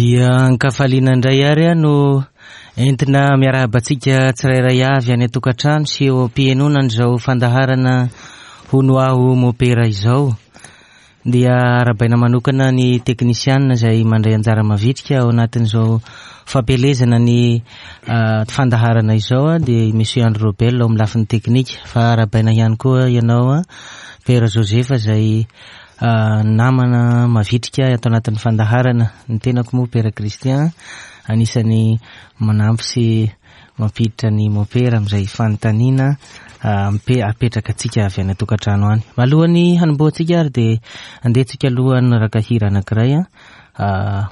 Dia an-kafaliana indray ary aho no entina miarahaba antsika tsirairay avy any an-tokantrano sy eo am-pihenoana an'izao fandaharana Hono Aho Mopera izao. Dia arahabaina manokana ny teknisianina izay mandray anjara mavitrika ao anatin'izao fampielezana ny fandaharana izao dia i Monsieur Andry Robel ao amin'ny lafiny teknika. Fa arahabaina ihany koa ianao Père Joseph izay namana mavitrika ato anatin'ny fandaharana. Ny tenako moa Père Christian anisan'ny manampy sy mampiditra ny mopera amin'izay fanontaniana apetraka antsika avy any an-tokantrano any. Alohan'ny hanombohantsika ary dia andeha tsika aloha hanaraka hira anankiray,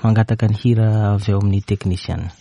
mangataka ny hira avy ao amin'ny teknisiana.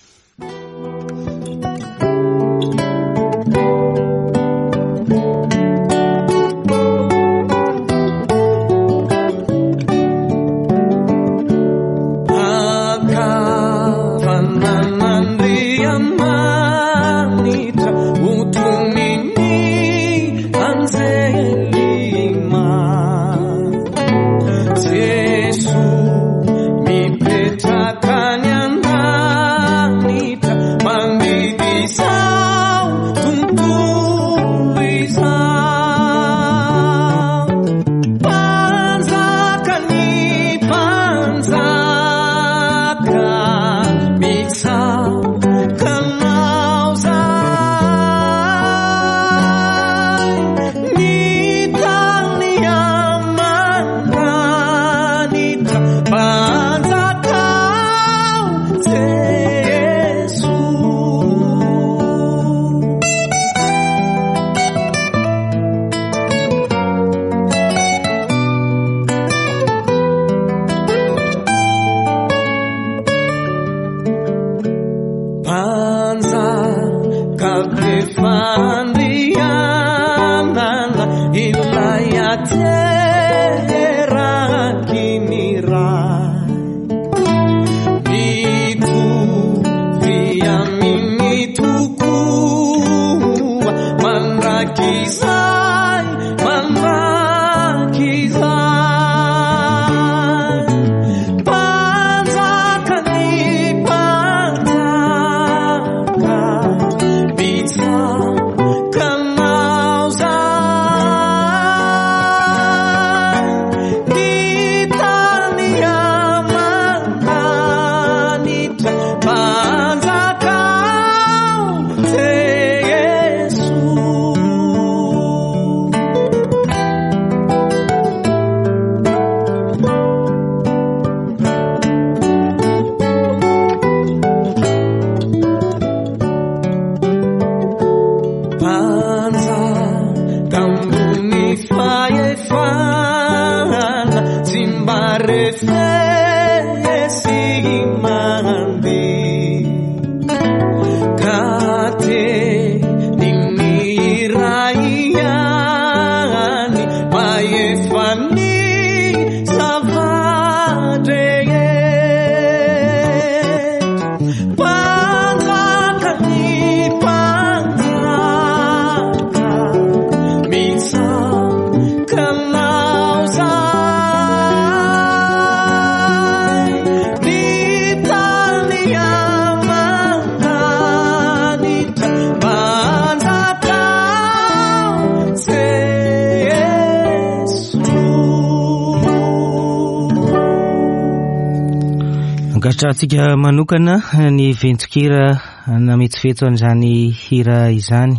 Ankasitrahantsika manokana ny ventson-kira nametsovetso an'izany hira izany.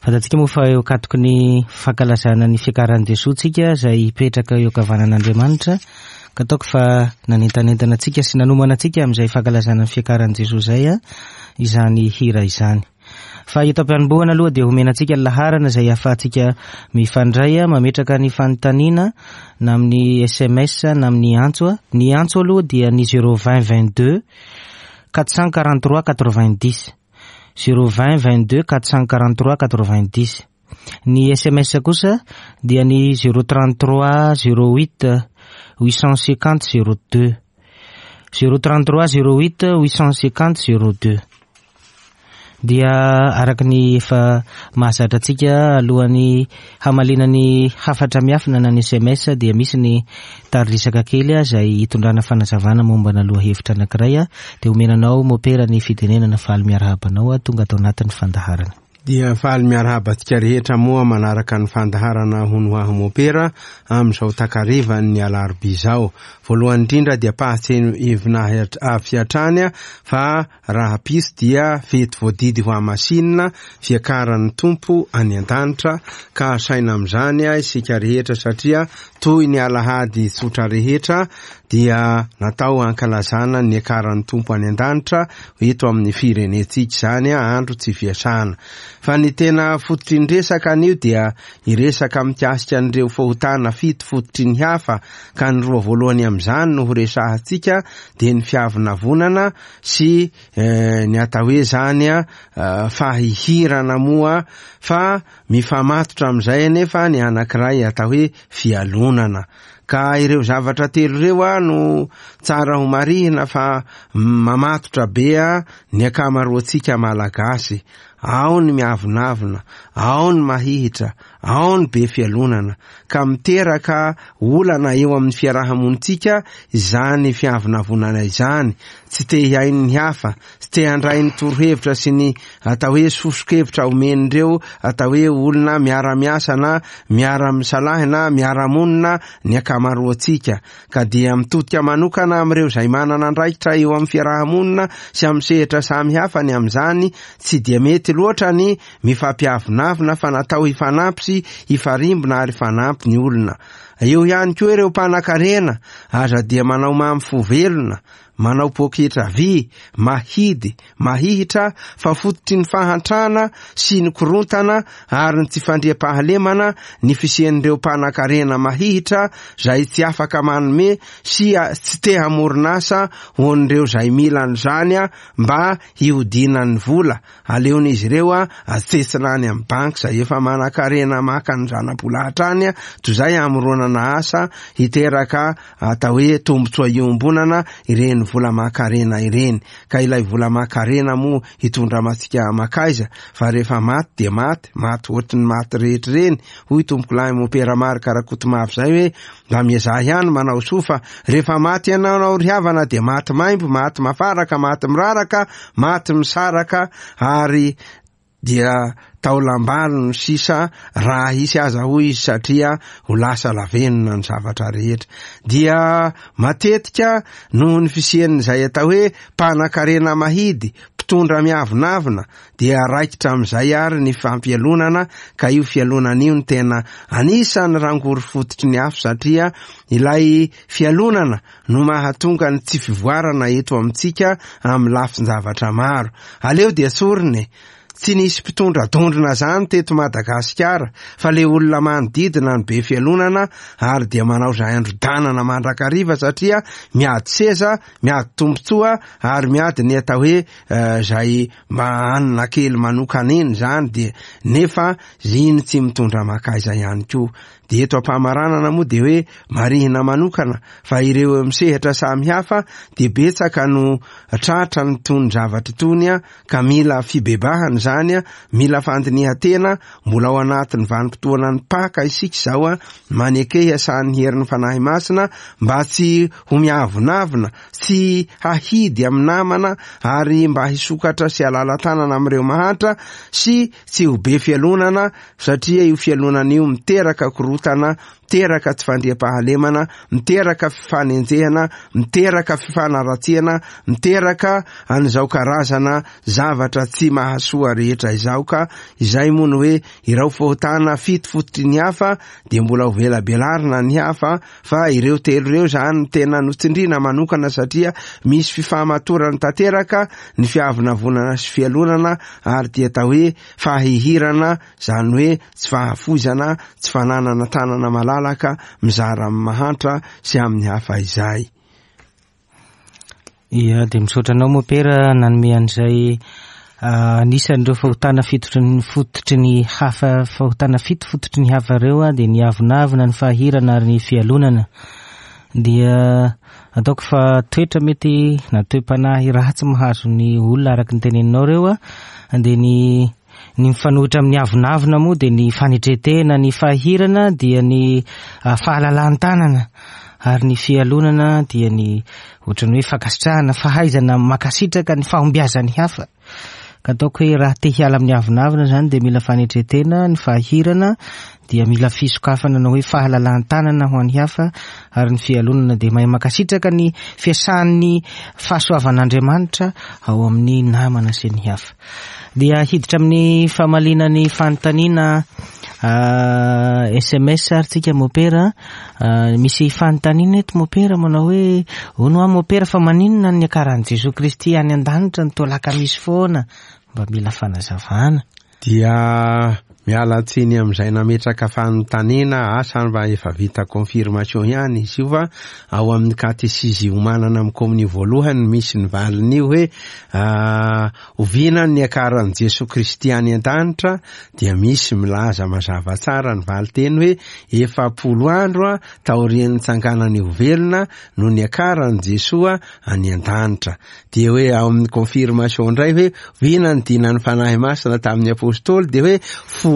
Fantatsika moa fa eo ankatoky ny fankalazana ny fiakaran'i Jesoa tsika izay hipetraka eo ankavanan'Andriamanitra, ka ataoko fa nanentanentana antsika sy nanomana antsika amin'izay fankalazana ny fiakaran'i Jesoa izay izany hira izany. Fa eto am-pianombohana aloha dia homena antsika ny laharana izay ahafahantsika mifandray, mametraka ny fanontaniana na amin'ny sms na amin'ny antso. Ny antso aloha dia ny zéro vingt vingt deux 443 90. Zéro vingt vingt deux 443 90. Ny sms kosa dia ny zéro trente trois zéro huit 850 zéro deux. Zéro trente trois zéro huit 850 zéro deux. Dia araka ny efa mahazatra antsika, alohan'ny hamaliana ny hafatra miafina na ny sms dia misy ny tari-dresaka kely izay hitondrana fanazavana mombana lohahevitra anankiray, dia omena anao mopera ny fitenenana. Faly miarahaba anao tonga ato anatin'ny fandaharana. Dia faly miarahaba antsika rehetra moa manaraka ny fandaharana Hono Ho Aho Mopera amin'izao takarivan'ny alarobia izao. Voalohany indrindra dia ampahatsiahivina avy hatrany fa Rahampitso dia fety voadidy ho hamasinina, fiakaran'ny Tompo any an-danitra, ka asaina amin'izany isika rehetra satria toy ny alahady tsotra rehetra dia natao hankalazana ny niakaran'ny Tompo any an-danitra eto amin'ny firenentsika izany, andro tsy fiasana. Fa ny tena fototry ny resaka anio dia hiresaka mikasika an'ireo fahotana fito fototry ny hafa, ka ny roa voalohany amin'izany no horesahantsika dia ny fiavonavonana sy ny atao hoe zany fahihirana moa, fa mifamatotra amin'izay anefa ny anankiray atao hoe fialonana. Ka ireo zavatra telo ireo no tsara ho marihina fa mamatotra be ny ankamaroantsika Malagasy. Ao ny miavonavona, ao ny mahihitra, ao ny be fialonana, ka miteraka olana eo amin'ny fiaraha-monintsika izany fiavonavonana izany, tsy te hihaino ny hafa, tsy te handray ny torohevitra sy ny atao hoe soso-kevitra omen'ireo atao hoe olona miara-miasa na miara-misalahy na miara-monina ny ankamaroantsika, ka dia mitodika manokana amin'ireo izay manana andraikitra eo amin'ny fiaraha-monina sy amin'ny sehatra samihafa ny amin'izany. Tsy dia mety loatra ny mifampiavonavona fa natao hifanampy sy hifarimbona ary hifanampy ny olona. Eo ihany koa ireo mpanankarena, aza dia manao mamy fo velona, manao poketra vy, mahidy, mahihitra fa fototry ny fahantrana sy ny korontana ary ny tsy fandriampahalemana ny fisian'ireo mpanankarena mahihitra izay tsy afaka manome sy tsy te hamorona asa ho an'ireo izay mila an'izany mba hihodinan'ny vola. Aleon'izy ireo atsetsina any amin'ny banky izay efa manankarena maka ny zana-bola hatrany toy izay hamoronana asa hiteraka atao hoe tombontsoa iombonana ireny vola aman-karena ireny. Ka ilay vola aman-karena moa hitondra antsika mankaiza fa rehefa maty dia maty, maty ohatry ny maty rehetra ireny, hoy tompokolahy Mompera Marc Rakotomavo izay hoe mba miezaha ihany manao soa fa rehefa maty ianao ry havana dia maty maimbo, maty mafaraka, maty miraraka, maty misaraka ary dia taolam-balo no sisa raha hisy aza hoy izy satria ho lasa lavenona ny zavatra rehetra. Dia matetika noho ny fisian'izay atao hoe mpanan-karena mahidy, mpitondra miavonavona dia raikitra amin'izay ary ny fampialonana ka io fialonana io no tena anisan'ny rangory fototry ny afo satria ilay fialonana no mahatonga ny tsy fivoarana eto amintsika amin'ny lafin-javatra maro. Aleo dia tsorina e! Tsy nisy mpitondra dondrona zany teto Madagasikara fa le olona manodidina no be fialonana ary dia manao izay androdanana mandrakariva satria miady seza, miady tombotsoa ary miady ny atao hoe izay mba hanina kely manokana iny zany dia nefa iny tsy mitondra makaiza ihany koa. Dia eto am-pamaranana moa dia hoe marihina manokana fa ireo eo amin'ny sehatra samihafa dia betsaka no tratra ny tony zavatra itony ka mila fibebahana izany, mila fandinihan-tena, mbola ao anatin'ny vanim-potoanan'ny Paka isika izao, maneke hiasan'ny herin'ny Fanahy Masina mba tsy ho miavonavona, tsy hahidy amin'ny namana ary mba hisokatra sy halala-tanana amin'ireo mahantra sy tsy ho be fialonana satria io fialonana io miteraka korotana, miteraka tsy fandriampahalemana, miteraka fifanenjehana, miteraka fifanaratsiana, miteraka an'izao karazana zavatra tsy mahasoa rehetra izao ka izay moa no hoe irao fahotana fito fototry ny hafa dia mbola ho velabelarina ny hafa fa ireo telo ireo izany no tena notsindriana manokana satria misy fifamatorany tanteraka ny fiavonavonana sy fialonana ary dia atao hoe fahihirana, izany hoe tsy fahafoizana, tsy fananana tanana malalaka mizara amin'ny mahantra sy amin'ny hafa izay. Ia, dia misaotra anao Mopera nanome an'izay anisan'ireo fahotana fitotry ny fototry ny hafa, fahotana fito fototry ny hafa ireo dia ny avonavona, ny fahirana ary ny fialonana. Dia ataoko fa toetra mety na toe-panahy ratsy mahazo ny olona araka ny teneninao ireo a, dia ny ny mifanohitra amin'ny avonavona moa dia ny fanetren-tena, ny fahirana dia ny fahalalan-tanana, ary ny fialonana dia ny ohatran'ny hoe fankasitrahana, fahaizana mankasitraka ny fahombiazan'ny hafa. Ka ataoko hoe raha te hiala amin'ny avonavona izany dia mila fanetren-tena, ny fahirana dia mila fisokafana na hoe fahalalan-tanana ho an'ny hafa, ary ny fialonana dia mahay mankasitraka ny fiasan'ny fahasoavan'Andriamanitra ao amin'ny namana sy ny hafa. Dia hiditra amin'ny famaliana ny fanontaniana SMS ary tsika mopera. Misy fanontaniana eto mopera manao hoe hono aho mopera fa maninona ny niakaran'i Jesoa Kristy any an-danitra no toa lakamisy foana? Mba mila fanazavana. Dia miala tsiny amin'izay nametraka fanontaniana, asa mba efa vita confirmation ihany izy io fa ao amin'ny katesizy iomanana amin'ny komonio voalohany misy ny valin'io hoe oviana ny niakaran'i Jesoa Kristy any an-danitra dia misy milaza mazava tsara ny valinteny hoe 40 andro taorian'ny nitsanganany ho velona no niakaran'i Jesoa any an-danitra. Dia hoe ao amin'ny confirmation indray hoe vina ny dinan'ny Fanahy Masina tamin'ny Apostoly dia hoe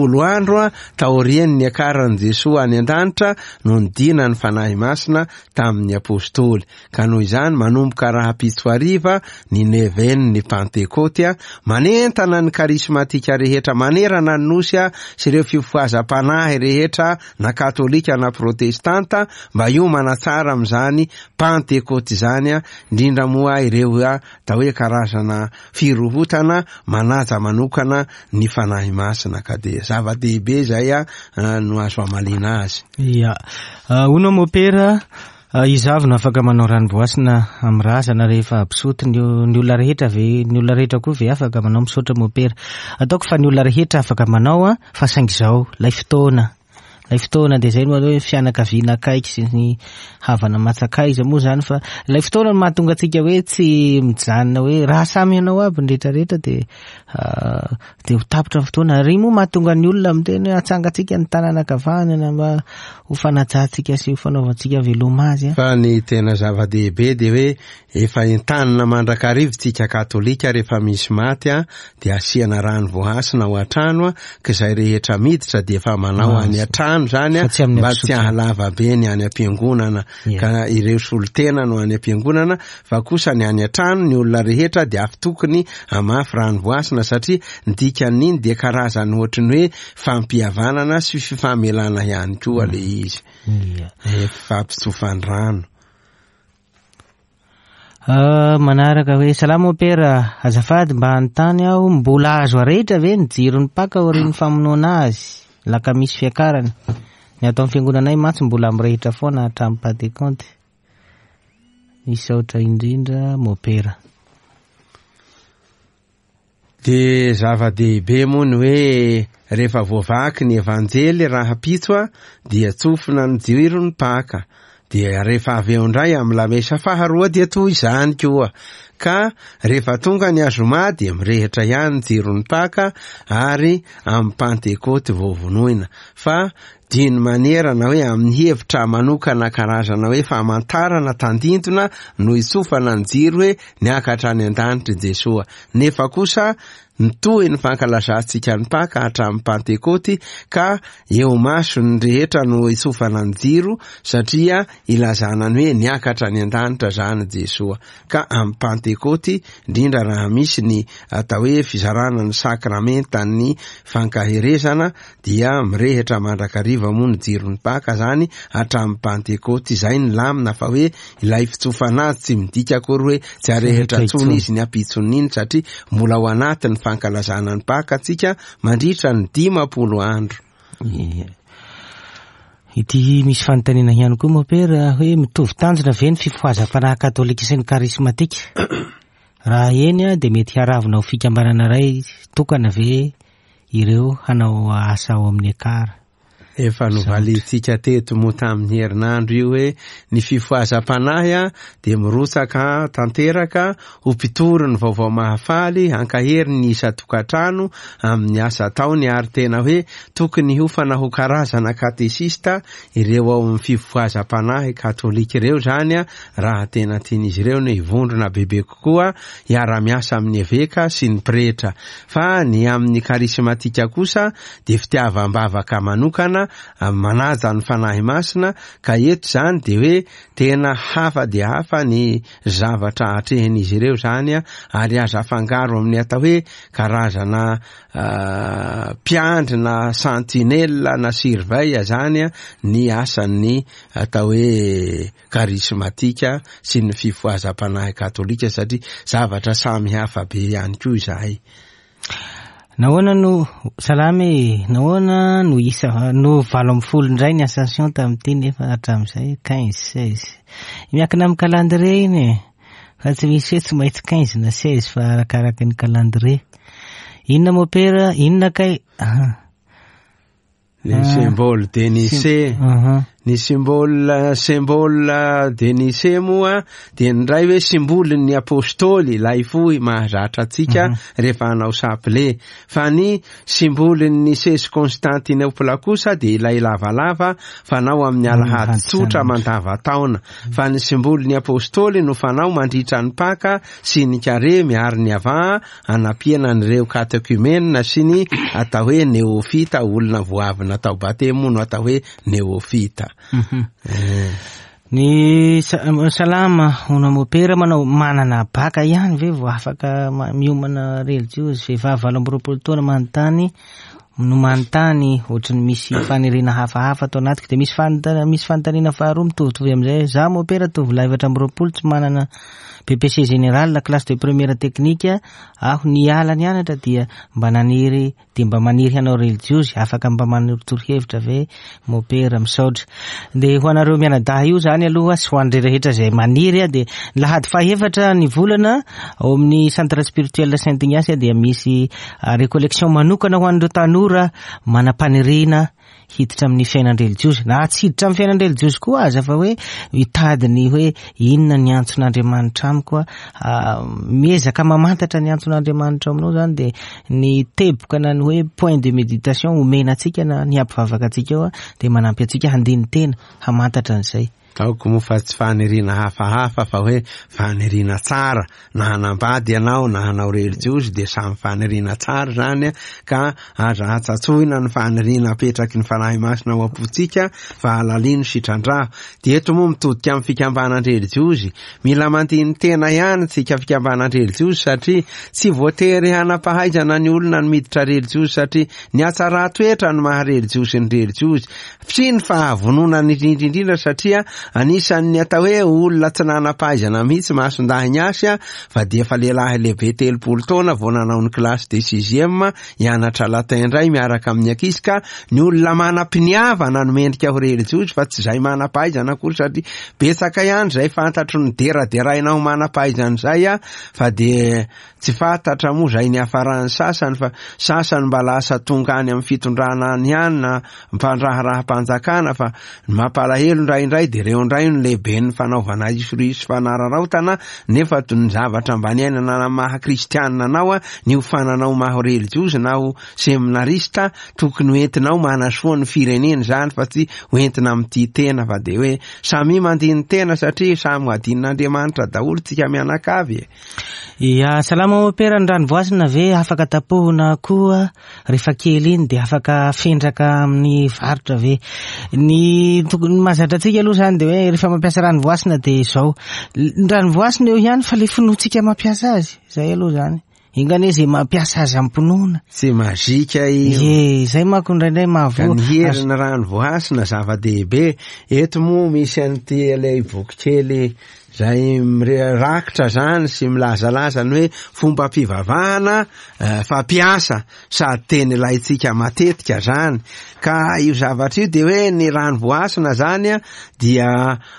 10 andro taorian'ny niakaran'i Jesoa any an-danitra no nidinan'ny Fanahy Masina tamin'ny Apostoly. Ka noho izany manomboka rahampitso hariva ny neuvaine-n'ny Pantekoty, manentana ny karismatika rehetra manerana ny Nosy sy ireo fifohazam-panahy rehetra na katolika na protestanta mba hiomana tsara amin'izany Pantekoty izany, indrindra moa ireo atao hoe karazana firohotana manaja manokana ny Fanahy Masina, ka dia zava-dehibe izay no azo hamaliana azy. Ya. Hono mopera, iza avy no afaka manao ranovoasina amin'ny razana rehefa absoty? Ny ny olona rehetra ve, ny olona rehetra koa ve afaka manao? Misaotra mopera. Ataoko fa ny olona rehetra afaka manao, fa saingy izao, ilay fotoana. Ilay fotoana dia izay no atao hoe fianakaviana akaiky sy ny havana matsakaiza moa izany, fa ilay fotoana no mahatonga antsika hoe tsy mijanona hoe raha samy hanao aby ny rehetrarehetra dia dia ho tapitra ny fotoana. Ary moa mahatonga ny olona miteny hoe atsangantsika ny tanana ankavanana mba ho fanajantsika sy ho fanaovantsika veloma azy. Fa ny tena zava-dehibe dia hoe efa entanina mandrakariva tsika katolika rehefa misy maty dia asiana rano voahasina ao an-trano, ka izay rehetra miditra dia efa manao any an-trano zany, Fa tsy amin'ny mba tsy ampisotroana. hahalava be ny any am-piangonana. Ka ireo solontena no any am-piangonana, fa kosa ny any an-trano ny olona rehetra dia avy tokony hamafy rano voahasina, satria ny dikan'iny dia karazany ohatry ny hoe fampihavanana sy fifamelana ihany koa le izy. Fampitsofan-drano. Manaraka hoe salama mopera, azafady mba hanontany aho, mbola azo arehitra ve ny jiron'ny Paka aorian'ny famonoana azy? Lakamisy fiakarana. Ny ato amin'ny fiangonanay mantsy mbola mirehitra foana hatramin'ny Pantekoty. Misaotra indrindra mopera. Dia zava-dehibe moa ny hoe rehefa voavaky ny Evanjely rahampitso dia tsofina ny jiron'ny Paka. Dia rehefa avy eo indray amin'ny lamesa faharoa dia toy izany koa. Ka rehefa tonga ny azoma dia mirehitra ihany ny jiron'ny Paka ary amin'ny Pantekoty vao vonoina. Fa d'une manière na hoe amin'ny hevitra manokana karazana hoe famantarana tandindona no itsofana ny jiro hoe niakatra any an-danitra i Jesoa. Nefa kosa nitohy ny fankalazantsika ny Paka hatramin'ny Pantekoty, ka eo mason'ny rehetra no itsofana ny jiro, satria ilazana ny hoe niakatra any an-danitra zany Jesoa. Ka amin'ny Pantekoty, indrindra raha misy ny atao hoe fizarana ny sakramentan'ny fankaherezana, dia mirehitra mandrakariva moa ny jiron'ny Paka zany hatramin'ny Pantekoty. Izay ny lamina, fa hoe ilay fitsofana azy tsy midika akory hoe tsy arehitra intsony izy ny ampitson'iny, satria mbola ao anatin'ny fankalazana ny Paka tsika mandritra ny 50 andro. Ity misy fanontaniana ihany koa mopera hoe mitovy tanjona ve ny fifohazam-panahy katolika sy ny karismatika? Raha eny dia mety hiaravona ho fikambanana iray tokana ve ireo hanao asa ao amin'ny ekara? Efa novalintsika teto moa tamin'ny herinandro io hoe ny fifohazam-panahy dia mirotsaka tanteraka ho mpitory ny vaovao mahafaly, hankahery ny isan-tokantrano amin'ny asa ataony ary tena hoe tokony hiofana ho karazana katesista ireo ao amin'ny fifohazam-panahy katolika ireo izany raha tena tian'izy ireo ny hivondrona bebe kokoa hiara-miasa amin'ny eveka sy ny pretra. Fa ny amin'ny karismatika kosa dia fitiavam-bavaka manokana manaja ny Fanahy Masina ka eto izany dia hoe tena hafa dia hafa ny zavatra atrehin'izy ireo izany ary aza afangaro amin'ny atao hoe karazana mpiandry na sentinelle na surveille izany ny asan'ny atao hoe karismatika sy ny fifohazam-panahy katolika satria zavatra samy hafa be ihany koa izahay. Nahoana no, salama e, nahoana no isa, no 18 indray ny ascension tamin'ity nefa hatramin'izay 15, 16. Miankina amin'ny calendrier iny e. Fa tsy misy hoe tsy maintsy 15 na 16 fa arakaraka ny calendrier. Inona mopera, inona kay? Ny symbole de Nicée. Ny symbole, symbole de Nicée moa dia ny iray hoe simbolin'ny apôstôly, ilay fohy mahazatra antsika rehefa hanao chapelet. Fa ny simbolin'ny Nicée sy Constantinople kosa dia ilay lavalava fanao amin'ny alahady tsotra mandavantaona. Fa ny simbolin'ny apôstôly no fanao mandritra ny Paka sy ny Karemy ary ny Avaha hanampiana an'ireo katekumena sy ny atao hoe neofita, olona vao avy natao batemy moa no atao hoe neofita. Ny salama hono mopera manao manana baka ihany ve vao afaka miomana relijiozy? Vehivavy 28 taona manontany no manontany ohatry ny misy faniriana hafahafa ato anatiko. Dia misy misy fanontaniana faharoa mitovitovy amin'izay. Za mopera tovolahy 24 tsy manana BPC général la classe de première technique aho niala nianatra dia mba naniry dia mba maniry hanao relijiozy, afaka mba manorotoro hevitra ve mopera? Misaotra. Dia ho anareo mianadahy io zany aloha sy ho an'ireo rehetra izay maniry dia ny lahady fahefatra ny volana ao amin'ny centre spirituel Saint Ignace dia misy récollection manokana ho an'ireo tanora manam-paniriana hiditra amin'ny fiainan-drelijiozy, na tsy hiditra amin'ny fiainan-drelijiozy koa aza fa hoe mitady ny hoe inona ny antson'Andriamanitra amiko, miezaka mamantatra ny antson'Andriamanitra aminao zany dia ny teboka na ny hoe point de méditation omena antsika na ny hampivavaka antsika eo dia manampy antsika handini-tena hamantatra an'izay. Ataoko moa fa tsy faniriana hafahafa fa hoe faniriana tsara, na hanambady ianao na hanao relijiozy dia samy faniriana tsara zany ka aza hatsatsoina ny faniriana apetraky ny Fanahy Masina ao am-pontsika fa alalino sy trandraho. Dia eto moa mitodika amin'ny fikambanan-drelijiozy, mila mandini-tena ihany tsika fikambanan-drelijiozy satria tsy voatery hanam-pahaizana ny olona ny miditra relijiozy satria ny hatsaran-toetra no maha relijiozy ny relijiozy. Sy ny fahavononana indrindra indrindra satria anisan'ny atao hoe olona tsy nanam-pahaizana mihitsy Masondahy Ignace fa dia efa lehilahy lehibe 30 taona vao nanao ny classe de sixième hianatra latin indray miaraka amin'ny ankizy ka ny olona manam-piniavana no mendrika ho relijiozy fa tsy izay manam-pahaizana akory satria betsaka ihany izay fantatro ny deraderaina ho manam-pahaizana izay fa dia tsy fantatra moa izay niafaran'ny sasany fa sasany mba lasa tonga any amin'ny fitondrana any ihany na mpandraharaham-panjakana fa ny mampalahelo indraindray dia ireo indray no lehiben'ny fanaovana isoriso fanararaotana nefa toy ny zavatra mba niainana na maha kristianina anao ny ho fananao maha relijiozy na ho seminarista tokony ho entinao manasoa ny firenena izany fa tsy ho entina amin'ity tena fa dia hoe samy mandini-tena satria samy ho adinon'Andriamanitra daholo tsika mianakavy e. Ia, salama mopera, ny rano voasina ve afaka tapohina koa rehefa kely iny dia afaka afendraka amin'ny varotra ve? Ny tokony mahazatra antsika aloha zany dia hoe rehefa mampiasa rano voasina dia izao, ny rano voasina eo ihany fa le finoantsika mampiasa azy, zay aloha zany. Enga anie zay mampiasa azy am-pinoana. Tsy mazika io. Ie, zay manko indraindray mahavoa. Ka ny herin'ny rano voasina zava-dehibe. Eto moa misy an'ity ilay boky kely izay mirakitra zany sy milazalaza ny hoe fombam-pivavahana fampiasa sady teny ilaintsika matetika zany. Ka io zavatra io dia hoe ny rano voasina zany dia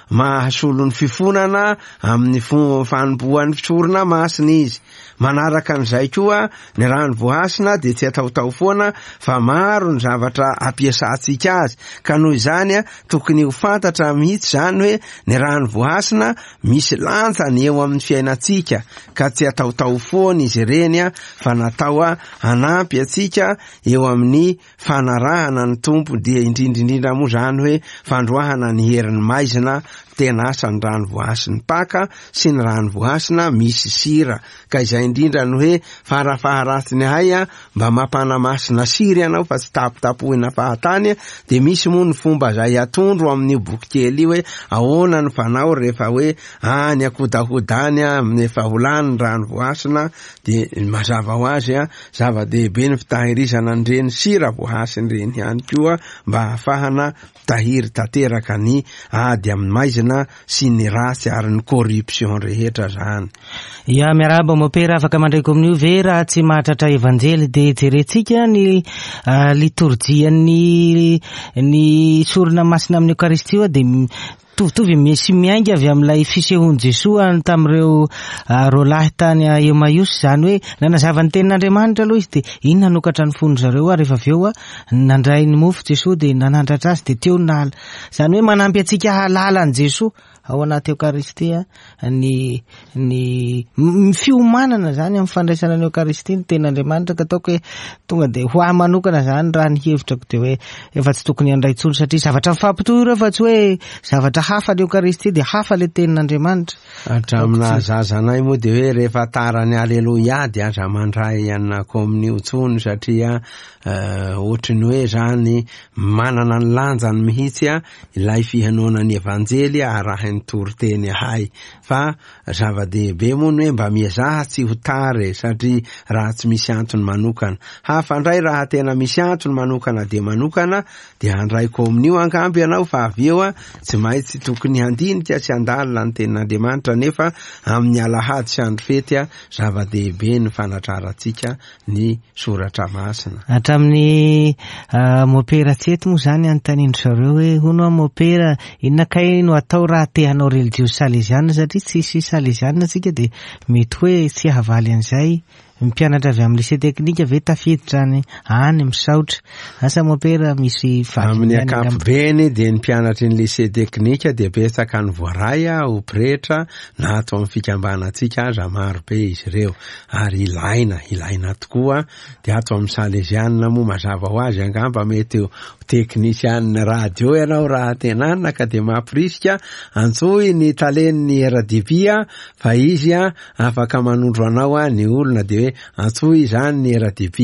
mahasolo ny fifonana amin'ny fanompoan'ny fisorona masina izy. Manaraka an'izay koa, ny rano voahasina dia tsy ataotao foana fa maro ny zavatra ampiasantsika azy, ka noho izany tokony ho fantatra mihitsy izany hoe ny rano voahasina misy lanjany eo amin'ny fiainantsika, ka tsy ataotao foana izy ireny fa natao hanampy antsika eo amin'ny fanarahana ny Tompo, dia indrindra indrindra moa izany hoe fandroahana ny herin'ny maizina, tena asa ny rano voahasin'ny Paka sy ny rano voahasina misy sira, ka izay indrindra no hoe farafaharatsiny ahay mba mampanamasina sira ianao fa tsy tapitapohina fahatany, dia misy moa ny fomba izay atondro amin'io boky kely io hoe ahoana ny fanao rehefa hoe any ankodahoda any amin'ny efa ho lany ny rano voahasina, dia mazava ho azy zava-dehibe ny fitahirizana an'ireny sira voahasina ireny ihany koa mba hahafahana mitahiry tanteraka ny ady amin'ny maizina sy ny ratsy ary ny corruption rehetra zany. Ya, miarahaba mopera, afaka mandray kominio ve raha tsy mahatratra evanjely dia jerentsika ny litorjian'ny ny sorona masina amin'ny Eucharistie dia Mitovitovy misy miainga avy amin'ilay fisehoan'i Jesoa tamin'ireo roalahy tany Emmaüs, izany hoe nanazava ny tenin'Andriamanitra aloha izy dia iny nanokatra ny fon-dry zareo ary rehefa avy eo nandray ny mofo Jesoa dia nanandratra azy dia teo no nahala, izany hoe manampy antsika hahalala an'i Jesoa ao anaty Eokaristia ny ny fiomanana izany amin'ny fandraisana ny Eokaristia ny tenin'Andriamanitra ka ataoko hoe tonga dia ho ahy manokana izany raha ny hevitrako dia hoe efa tsy tokony handray intsony satria zavatra mifampitohy ireo fa tsy hoe zavatra hafa ny Eokaristia dia hafa ilay tenin'Andriamanitra. Hatramin'ny nahazaza anay moa dia hoe rehefa tara ny Aleloia dia aza mandray an'i kominio intsony satria ohatry ny hoe izany manana ny lanjany mihitsy ilay fihenoana ny Evanjely arahin'ny toriteny ahay. Fa zava-dehibe moa ny hoe mba miezaha tsy ho tara e, satria raha tsy misy antony manokana. Hafa indray raha tena misy antony manokana dia manokana, dia handray kominio angamba ianao fa avy eo tsy maintsy tokony handinika sy handalina ny tenin'Andriamanitra nefa amin'ny alahady sy andro fety zava-dehibe ny fanatrarantsika ny soratra masina. Hatramin'ny mopera tsy eto moa izany anontanian-dry zareo hoe hono aho mopera, inona kay no atao raha te hanao relijiozy saleziana satria tsisy saleziana tsika dia mety hoe tsy hahavaly an'izay. Ny mpianatra avy amin'ny lycée technique ve tafiditra any any misaotra. Asa mopera misy valiny Amin'ny ihany angamba. ankapobeny dia ny mpianatry ny lycée technique dia betsaka ny voaray ho pretra na ato amin'ny fikambanantsika aza maro be izy ireo. Ary ilaina, ilaina tokoa, dia ato amin'ny Salezianina moa mazava ho azy angamba mety ho teknisianina radio ianao raha tena anona ka dia mampirisika, antsoy ny talen'ny RDB fa izy afaka manondro anao ny olona dia hoe antsoy izany ny RDB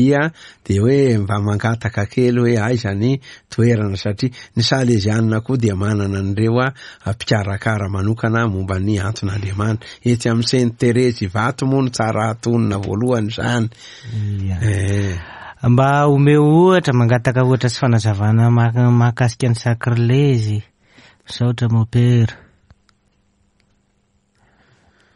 dia hoe mba mangataka kely hoe aiza ny toerana satria ny Salezianina koa dia manana an'ireo mpikarakara manokana momba ny anton'Andriamanitra. Etsy amin'ny Sainte Thérèse Ivato moa no tsara hatonina voalohany izany. Eh. Mba omeo ohatra, mangataka ohatra sy fanazavana mahakasika ny sakrilezy. Misaotra mopera.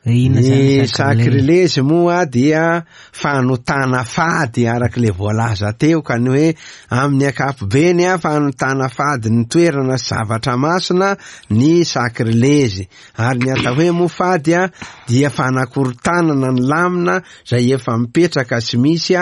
Ny sakrilezy moa dia fanotana fady araka ilay voalaza teo ka ny hoe amin'ny ankapobeny fanotana fady ny toerana sy zavatra masina ny sakrilezy ary ny atao hoe moa fady dia fanakorontanana ny lamina izay efa mipetraka sy misy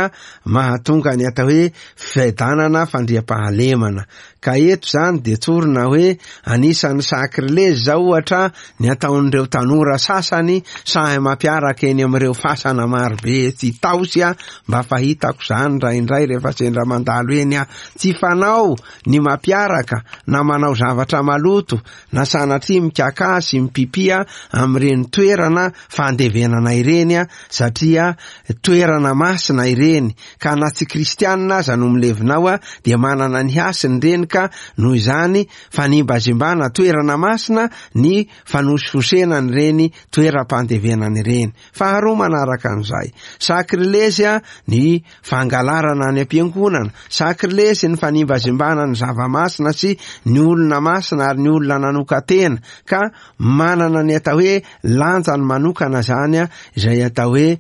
mahatonga ny atao hoe fiadanana fandriampahalemana Ka eto izany dia tsorina hoe anisan'ny sakrilezy izao ohatra ny ataon'ireo tanora sasany sahy mampiaraka eny amin'ireo fasana marobe etsy Itaosy mba fahitako izany indraindray rehefa sendra mandalo eny aho. Tsy fanao ny mampiaraka na manao zavatra maloto na sanatria mikakà sy mipipia amin'ireny toerana fandevenana ireny satria toerana masina ireny ka na tsy kristianina aza no milevina ao dia manana ny hasiny ireny ka noho izany fanimbazimbana toerana masina ny fanosihosena an'ireny toeram-pandevenana ireny. Faharoa manaraka an'izay, sakrilezy ny fangalarana any am-piangonana, sakrilezy ny fanimbazimbana ny zava-masina sy ny olona masina ary ny olona nanokan-tena ka manana ny atao hoe lanjany manokana izany izay atao hoe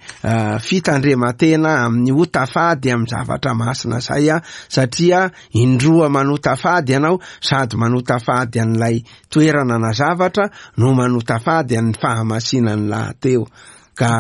fitandreman-tena amin'ny ota fady amin'ny zavatra masina izay satria indroa manota fady ianao sady manota fady an'ilay toerana na zavatra no manota fady an'ny fahamasinan'ny lahateo. Ka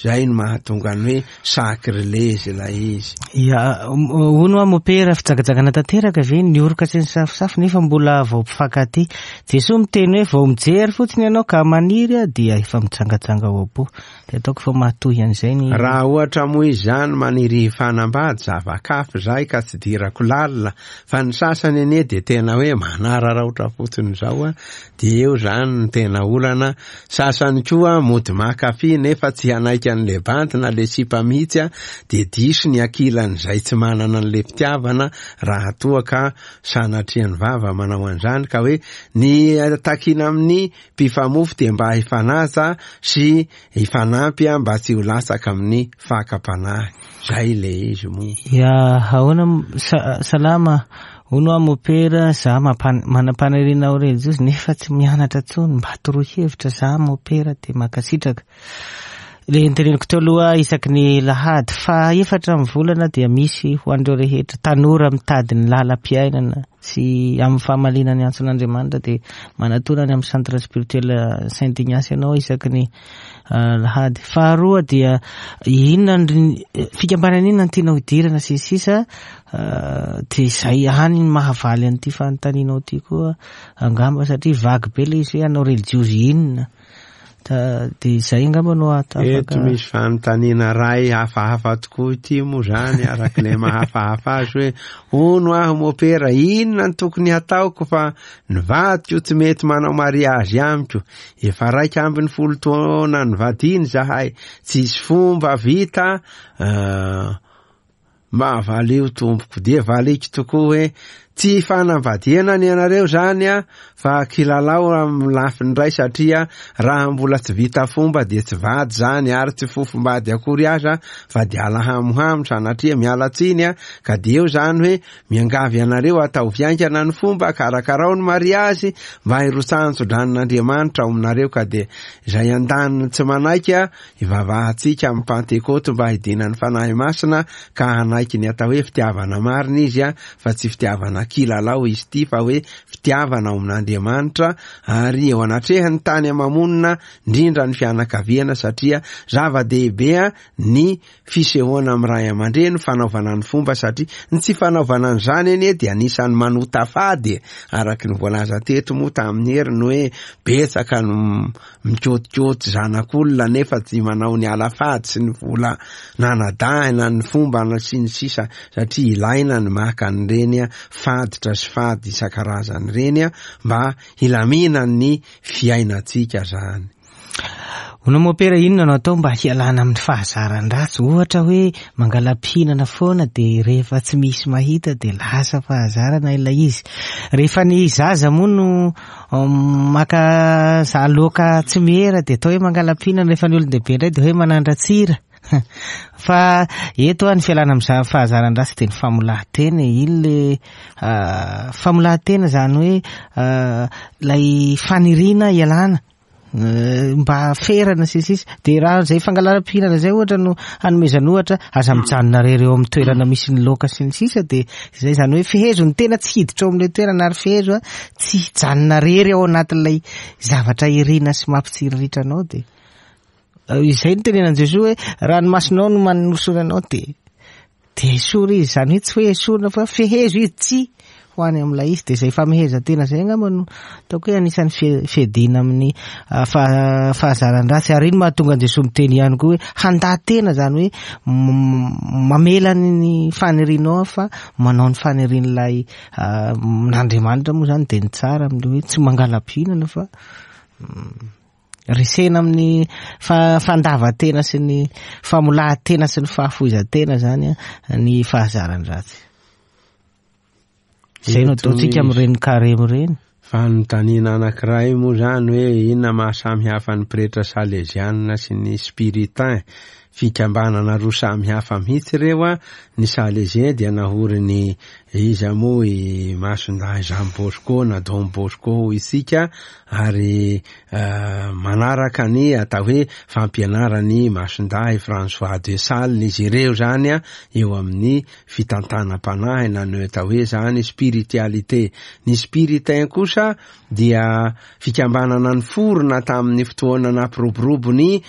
zay no mahatonga ny hoe sacrilège ilay izy. Ya, hono hoa mopera, fijangajangana tanteraka ve ny oroka sy ny safosafo nefa mbola vao mpifankatia? Jesoa miteny hoe vao mijery fotsiny ianao ka maniry dia efa mijangajanga ao am-po. Dia ataoko fa mahatohy an'izay ny. Raha ohatra moa izy izany maniry hifanambady, zava-kafa izay ka tsy idirako lalina, fa ny sasany anie dia tena hoe manararaotra fotsiny izao an, dia eo izany no tena olana, sasany koa mody maka fy nefa tsy hanaiky an'le bandy na le sipa mihitsy an, dia diso ny ankilan'izay tsy manana an'le fitiavana raha toa ka sanatrian'ny vava manao an'izany, ka hoe ny takiana amin'ny Mpifamofo dia mba hifanaja sy hifanampy mba tsy ho latsaka amin'ny fakam-panahy. Zay le izy moa. Ya, ahoana salama, hono aho mopera, za manam-paniriana ho relijiozy nefa tsy mianatra tsony, mba toroy hevitra za mopera dia mankasitraka. Le noteneniko teo aloha isaky ny lahady faha efatra amin'ny volana dia misy ho an'ireo rehetra tanora mitady ny lalam-piainana sy amin'ny fahamaliana ny antson'Andriamanitra dia manatona any amin'ny centre spirituel Saint Ignace ianao isaky ny ah, lahady. Faharoa dia inona ny fikambanana inona no tianao hidirana sy ny sisa ah, dia izay ihany ny mahavaly an'ity fanontanianao ity koa angamba satria vague be ilay izy hoe hanao relijiozy inona. Da dia izay angamba no afaka. Eto misy fanontaniana iray hafahafa tokoa ity moa izany araka ilay mahafahafa azy hoe hono aho mopera inona no tokony hataoko fa ny vadiko tsy mety manao mariazy amiko efa 11 taona nivadiana izahay tsisy fomba vita uh, Mba valio tompoko dia valiko tokoa hoe tsy fanambadiana ny anareo zany a fa kilalao amin'ny lafiny iray satria raha mbola tsy vita fomba dia tsy vady zany ary tsy fofombady akory aza fa dia alahamohamo sanatria miala tsiny a ka dia eo zany hoe miangavy anareo ataovy haingana ny fomba karakarao ny mariazy mba hirotsahan-tsodranon'Andriamanitra ao aminareo ka dia izay andaniny tsy manaiky a Ivavahantsika amin'ny Pantekoty mba hidinan'ny Fanahy Masina ka hanaiky ny atao hoe fitiavana marina izy fa tsy fitiavana kilalao izy ity fa hoe fitiavana ao amin'Andriamanitra ary eo anatrehan'ny tany ama-monina indrindra ny fianakaviana satria zava-dehibe ny fisehoana amin'ny ray aman-dreny, fanaovana ny fomba satria ny tsy fanaovana an'izany anie dia anisan'ny manota fady e! Araka ny voalaza teto moa tamin'ny heriny hoe betsaka no mikôtikôty zanak'olona nefa tsy manao ny ala-fady sy ny vola nanadahina ny fomba sy ny sisa satria ilaina ny maka an'ireny faditra sy fady isan-karazany ireny mba hilaminan'ny fiainantsika zany. Hono mopera inona no atao mba hialana amin'ny fahazaran-dratsy? Ohatra hoe mangala-pihinana foana dia rehefa tsy misy mahita dia lasa fahazarana ilay izy. Rehefa ny zaza moa no um, maka aloka tsy miera dia atao hoe mangala-pihinana, rehefa ny olon-dehibe indray dia hoe manandra-tsira. Fa eto ny fialana amin'izany fahazaran-dratsy dia ny famolahan-tena e. Iny le ah, famolahan-tena izany hoe ah, ilay faniriana hialana eh, mba ferana sy ny sisa. Dia raha izay fangalaram-pihinana izay ohatra no hanomezana ohatra, aza mijanona rery eo amin'ny toerana misy ny laoka sy ny sisa dia izay izany hoe fehezo ny tena tsy hiditra ao amin'ilay toerana ary fehezo tsy hijanona rery ao anatin'ilay zavatra irina sy mampitsiriritra anao dia Izay no tenenan'i Jesoa hoe raha ny masonao no manosory anao dia dia esory izy. Izany hoe tsy hoe esorina fa fehezo izy tsy ho any amin'ilay izy. Dia izay famehezan-tena izay angamba no ataoko hoe anisan'ny fiadiana amin'ny ah, fahazaran-dratsy. Ary iny mahatonga an'i Jesoa miteny ihany koa hoe handà tena, izany hoe mamela ny fanirianao fa manao ny fanirian'ilay ah, n'Andriamanitra moa izany dia ny tsara amin'ilay hoe tsy mangala-pihinana fa mm, Resena amin'ny fandavan-tena sy ny famolahan-tena sy ny fahafoizan-tena zany ny fahazaran-dratsy. Izay no ataontsika amin'ireny karemy ireny. Fanontaniana anankiray moa izany hoe inona maha samy hafa ny pretra salezianina sy ny spiritain? Fikambanana roa samy hafa mihitsy ireo a. Ny Salésien dia nahorin'ny iza moa i Masindahy Jean Bosco na Don Bosco hoy isika, ary manaraka ny atao hoe fampianaran'i Masindahy François de Sales izy ireo zany a, eo amin'ny fitantanam-panahy na ny atao hoe zany spiritualité. Ny spiritain kosa dia fikambanana niforona tamin'ny fotoana nampiroborobo ny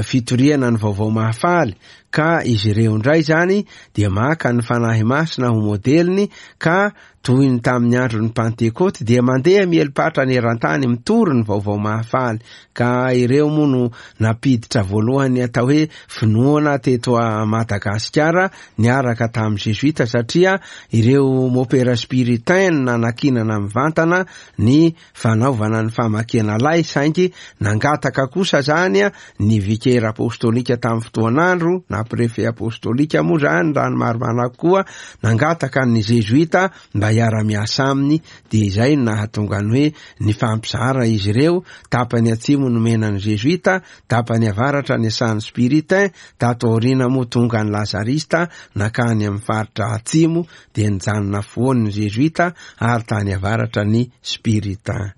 fitoriana ny vaovao mahafaly, ka izy ireo indray zany dia maka ny Fanahy Masina ho modeliny, ka toy ny tamin'ny andron'ny Pantekoty dia mandeha mieli-patrana eran-tany mitory ny vaovao mahafaly, ka ireo moa no nampiditra voalohany atao hoe finoana teto Madagasikara niaraka tamin'ny Zezoita, satria ireo mopera spiritain no nanakinana mivantana ny fanaovana ny famakiana lay, saingy nangataka kosa zany ny vikera apostolika tamin'ny fotoan'andro, na prefe apostolika moa zany raha ny marimarina kokoa, nangataka ny Zezoita mba hiara-miasa aminy, dia izay no nahatonga ny hoe nifampizara izy ireo, tapany atsimo nomena ny Zezoita, tapany avaratra niasan'ny Spiritain, tato aoriana moa tonga ny Lazarista nankany amin'ny faritra atsimo, dia nijanona afovoany ny Zezoita ary tany avaratra ny Spiritain.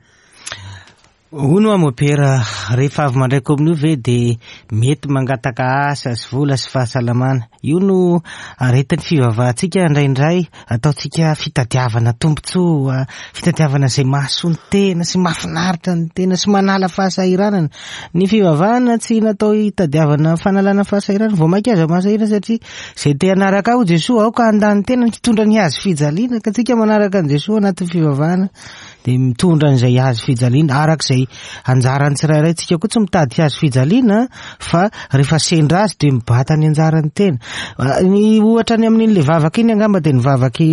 Hono hoa mopera, rehefa avy mandray kominio ve dia mety mangataka asa sy vola sy fahasalamana? Io no aretin'ny fivavahantsika indraindray, ataontsika fitadiavana tombontsoa, fitadiavana izay mahasoa ny tena sy mahafinaritra ny tena sy manala fahasahiranana. Ny fivavahana tsy natao hitadiavana fanalana fahasahiranana, vao mainka aza mahasahirana satria izay te hanaraka ahy hoy Jesoa, aoka handà ny tenany hitondra ny hazo fijaliana, ka tsika manaraka an'i Jesoa anatin'ny fivavahana dia mitondra an'izay hazo fijaliana araka izay anjaran'ny tsirairay. Tsika koa tsy mitady hazo fijaliana fa rehefa sendra azy dia mibata ny anjaran'ny tena. Ny ohatra ny amin'iny le vavaka iny angamba dia ny vavaky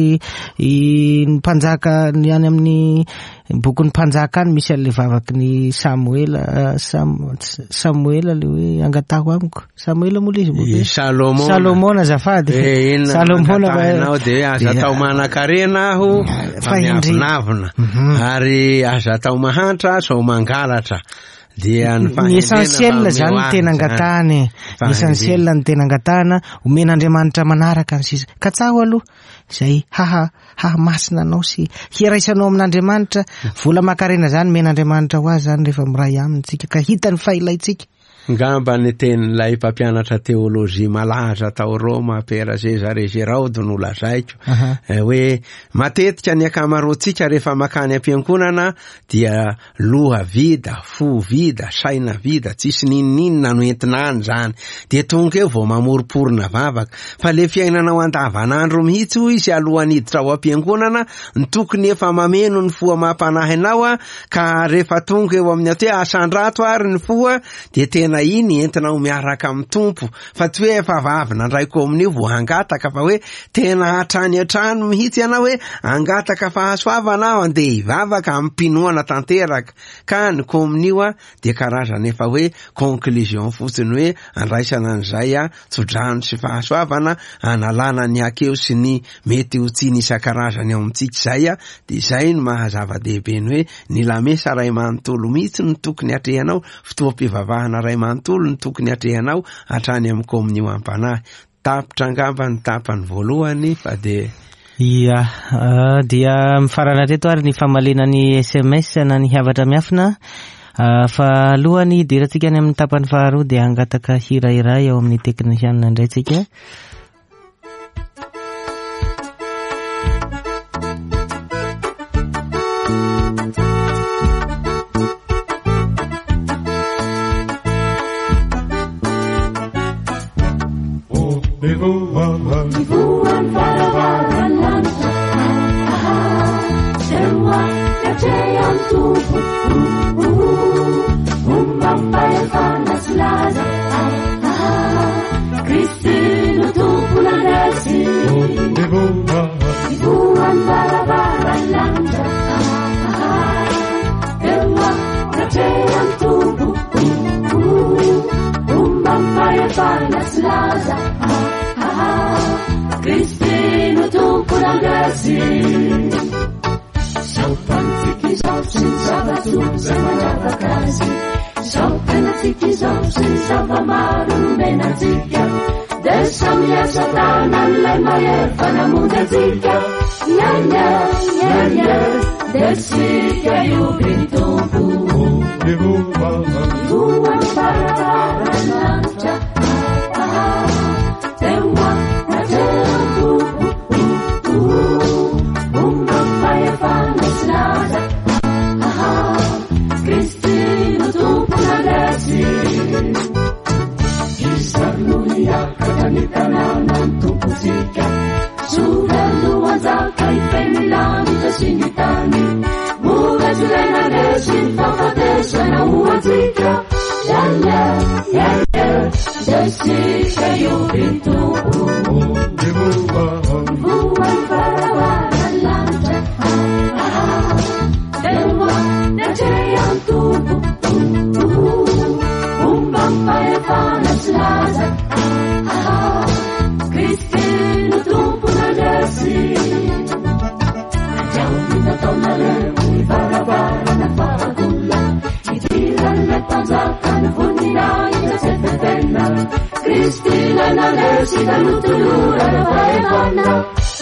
ny mpanjaka ny any amin'ny bokin'ny mpanjaka any misy an'le vavaky ny Samoela, Samoela le hoe angataho amiko. Samoela moa le izy moa I Salomona. Salomona azafady. Eh, inona Salomona no angatahinao dia hoe aza atao manan-karena aho fa Fa indrindra. miavonavona. Ary aza atao mahantra sao mangalatra. Dia ny Ny fahendrena essentiel mba zany omeo ny tena ahy zany. angatahana e. Ny Fahendrena. essentiel ny tena angatahana, omen'Andriamanitra manaraka ny sisa. Katsaho aloha izay haha hahamasina anao sy hiraisanao amin'Andriamanitra. Vola aman-karena zany omen'Andriamanitra ho azy zany rehefa miray aminy tsika ka hitany fa ilaintsika. Ngamba ny tenin'ilay mpampianatra teolojia malaza tao Roma, Père Cesare Giraud no lazaiko, hoe matetika ny ankamaroantsika rehefa makany am-piangonana dia loha vida, fo vida, saina vida, tsisy n'inon'inona no entina any zany. Dia tonga eo vao mamoromporona vavaka. Fa le fiainanao andavanandro mihitsy hoy izy alohan'ny hiditra ao am-piangonana no tokony efa mameno ny fo amam-panahinao ka rehefa tonga eo amin'ny atao hoe asandrato ary ny fo dia tena iny entinao miaraka amin'ny Tompo, fa tsy hoe efa avy nandray kominio vao hangataka, fa hoe tena hatrany hatrany mihitsy ianao hoe hangataka fahasoavana aho, andeha hivavaka amim-pinoana tanteraka. Ka ny kominio dia karazana efa hoe conclusion fotsiny hoe andraisana an'izay tsodrano sy fahasoavana analana ny hakeo sy ny mety ho tsiny isan-karazany ao amintsika izay, dia izay no maha zava-dehibe ny hoe ny lamesa ray manontolo mihitsy no tokony atrehanao, fotoam-pivavahana ray manontolo no tokony atrehanao hatrany amin'ny kominio am-panahy. Tapitra angamba ny tapany voalohany fa dia Ia, dia mifarana hatreto ary ny famaliana ny SMS na ny havatra miafina. Fa alohan'ny hidirantsika any amin'ny tapany faharoa dia hangataka hira iray ao amin'ny teknisianina indray tsika. samy hiasa tanan'ilay mahery fa namonjy antsika. Nya nya nya nya, dia isika hioby ny Tompo. Voan'ny varavaran'ny lanitra, ah, teo anatrehan'ny Tompo. Ombam-pahefana sy laza, ah, Kristy no Tompo nandresy. Iza no hiakatra ny tanànan'ny Tompontsika? Joda no hanjaka hifehy ny lanitra sy ny tany. Mora tsy ilay nandresy ny fahafatesana ho antsika. Ya, ya, ya, ya, dia isika hioby ny Tompo. Voan'ny varavaran'ny lanitra, ah, teo anatrehan'ny Tompo. Ombam-pahefana sy laza, ah, Kristy no Tompo nandresy. Andrao ny nataonareo ny varavarana fahagola, hidiran'ilay mpanjaka ny voninahitra tsy fefena. Kristy ilay nandresy ka notolorana fahefana.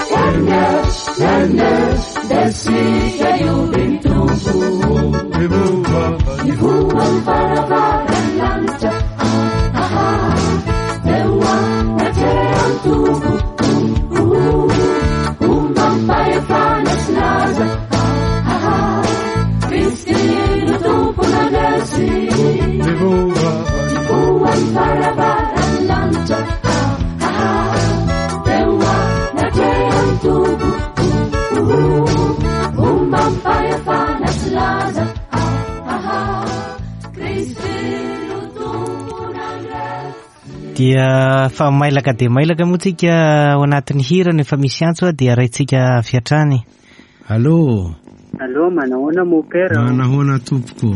Nya, nya, nya, dia isika hioby ny Tompo. Nivoha ny varavaran'ny lanitra, ah, teo anatrehan'ny Tompo. Ombam-pahefana sy laza, ah, Kristy no Tompo nandresy. Nivoha ny varavaran'ny lanitra, ah, teo anatrehan'ny Tompo. Ombam-pahefana sy laza, ah, Kristy no Tompo nandresy. Dia fa mailaka dia mailaka moa tsika ao anatin'ny hira no efa misy antso, dia raintsika avy hatrany. Allô? Allô, manahoana mopera? Manahoana tompoko?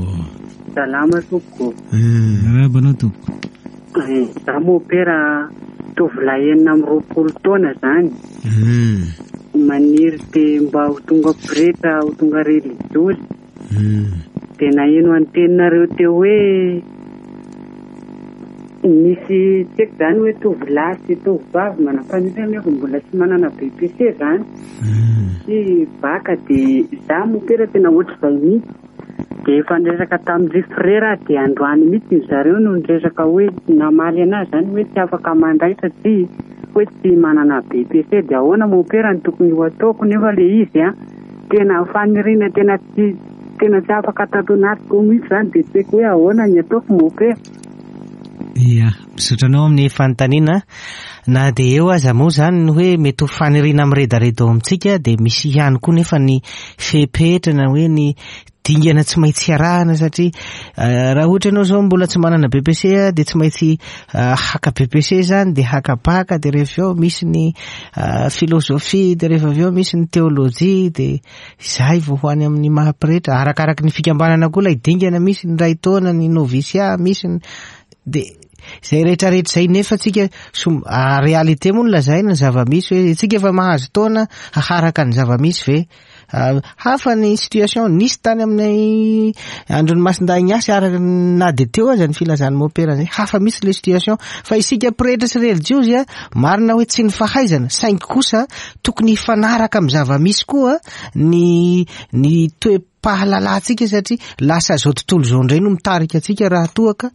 Salama tompoko. Miarahaba anao tompoko. Za mopera tovolahy 26 taona zany. Maniry te mba ho tonga pretra, ho tonga relijiozy. Dia naheno an'ny teninareo teo hoe misy tsy haiko zany hoe tovolahy sy tovovavy manam-paniriana nefa mbola tsy manana BPC zany. Sy baka dia za mopera tena ohatr'izay mihitsy. Dia efa niresaka tamin'ny frera dia androany mihitsy ny zareo no niresaka hoe namaly anazy zany hoe tsy afaka mandray satria hoe tsy manana BPC. Dia ahoana mopera no tokony ho ataoko nefa le izy a tena faniriana tena tsy tena tsy afaka tato anatiko mihitsy zany, dia tsy haiko hoe ahoana ny ataoko mopera. Ia, misaotra anao amin'ny fanontaniana. Na dia eo aza moa zany ny hoe mety ho faniriana miredareda ao amintsika, dia misy ihany koa nefa ny fepetra na hoe ny dingana tsy maintsy arahana, satria raha ohatra ianao zao mbola tsy manana BPC, dia tsy maintsy haka BPC zany, dia haka baka, dia rehefa avy eo misy ny filozofia, dia rehefa avy eo misy ny teolojia, dia izay vao ho any amin'ny maha pretra. Arakaraky ny fikambanana koa ilay dingana, misy ny ray taona, ny novisia, misy ny dia izay rehetrarehetra izay. Nefa tsika réalité moa no lazaina, ny zava-misy hoe tsika efa mahazo taona haharaka ny zava-misy ve? Hafa ny situation nisy tany amin'ny andron'ny Masindahy Ignace, araka na dia teo aza ny filazan'ny mopera zay, hafa misy le situation. Fa isika pretra sy relijiozy a, marina hoe tsy ny fahaizana, saingy kosa tokony hifanaraka amin'ny zava-misy koa ny toe-pahalalantsika, satria lasa zao tontolo izao indray no mitarika antsika raha toa ka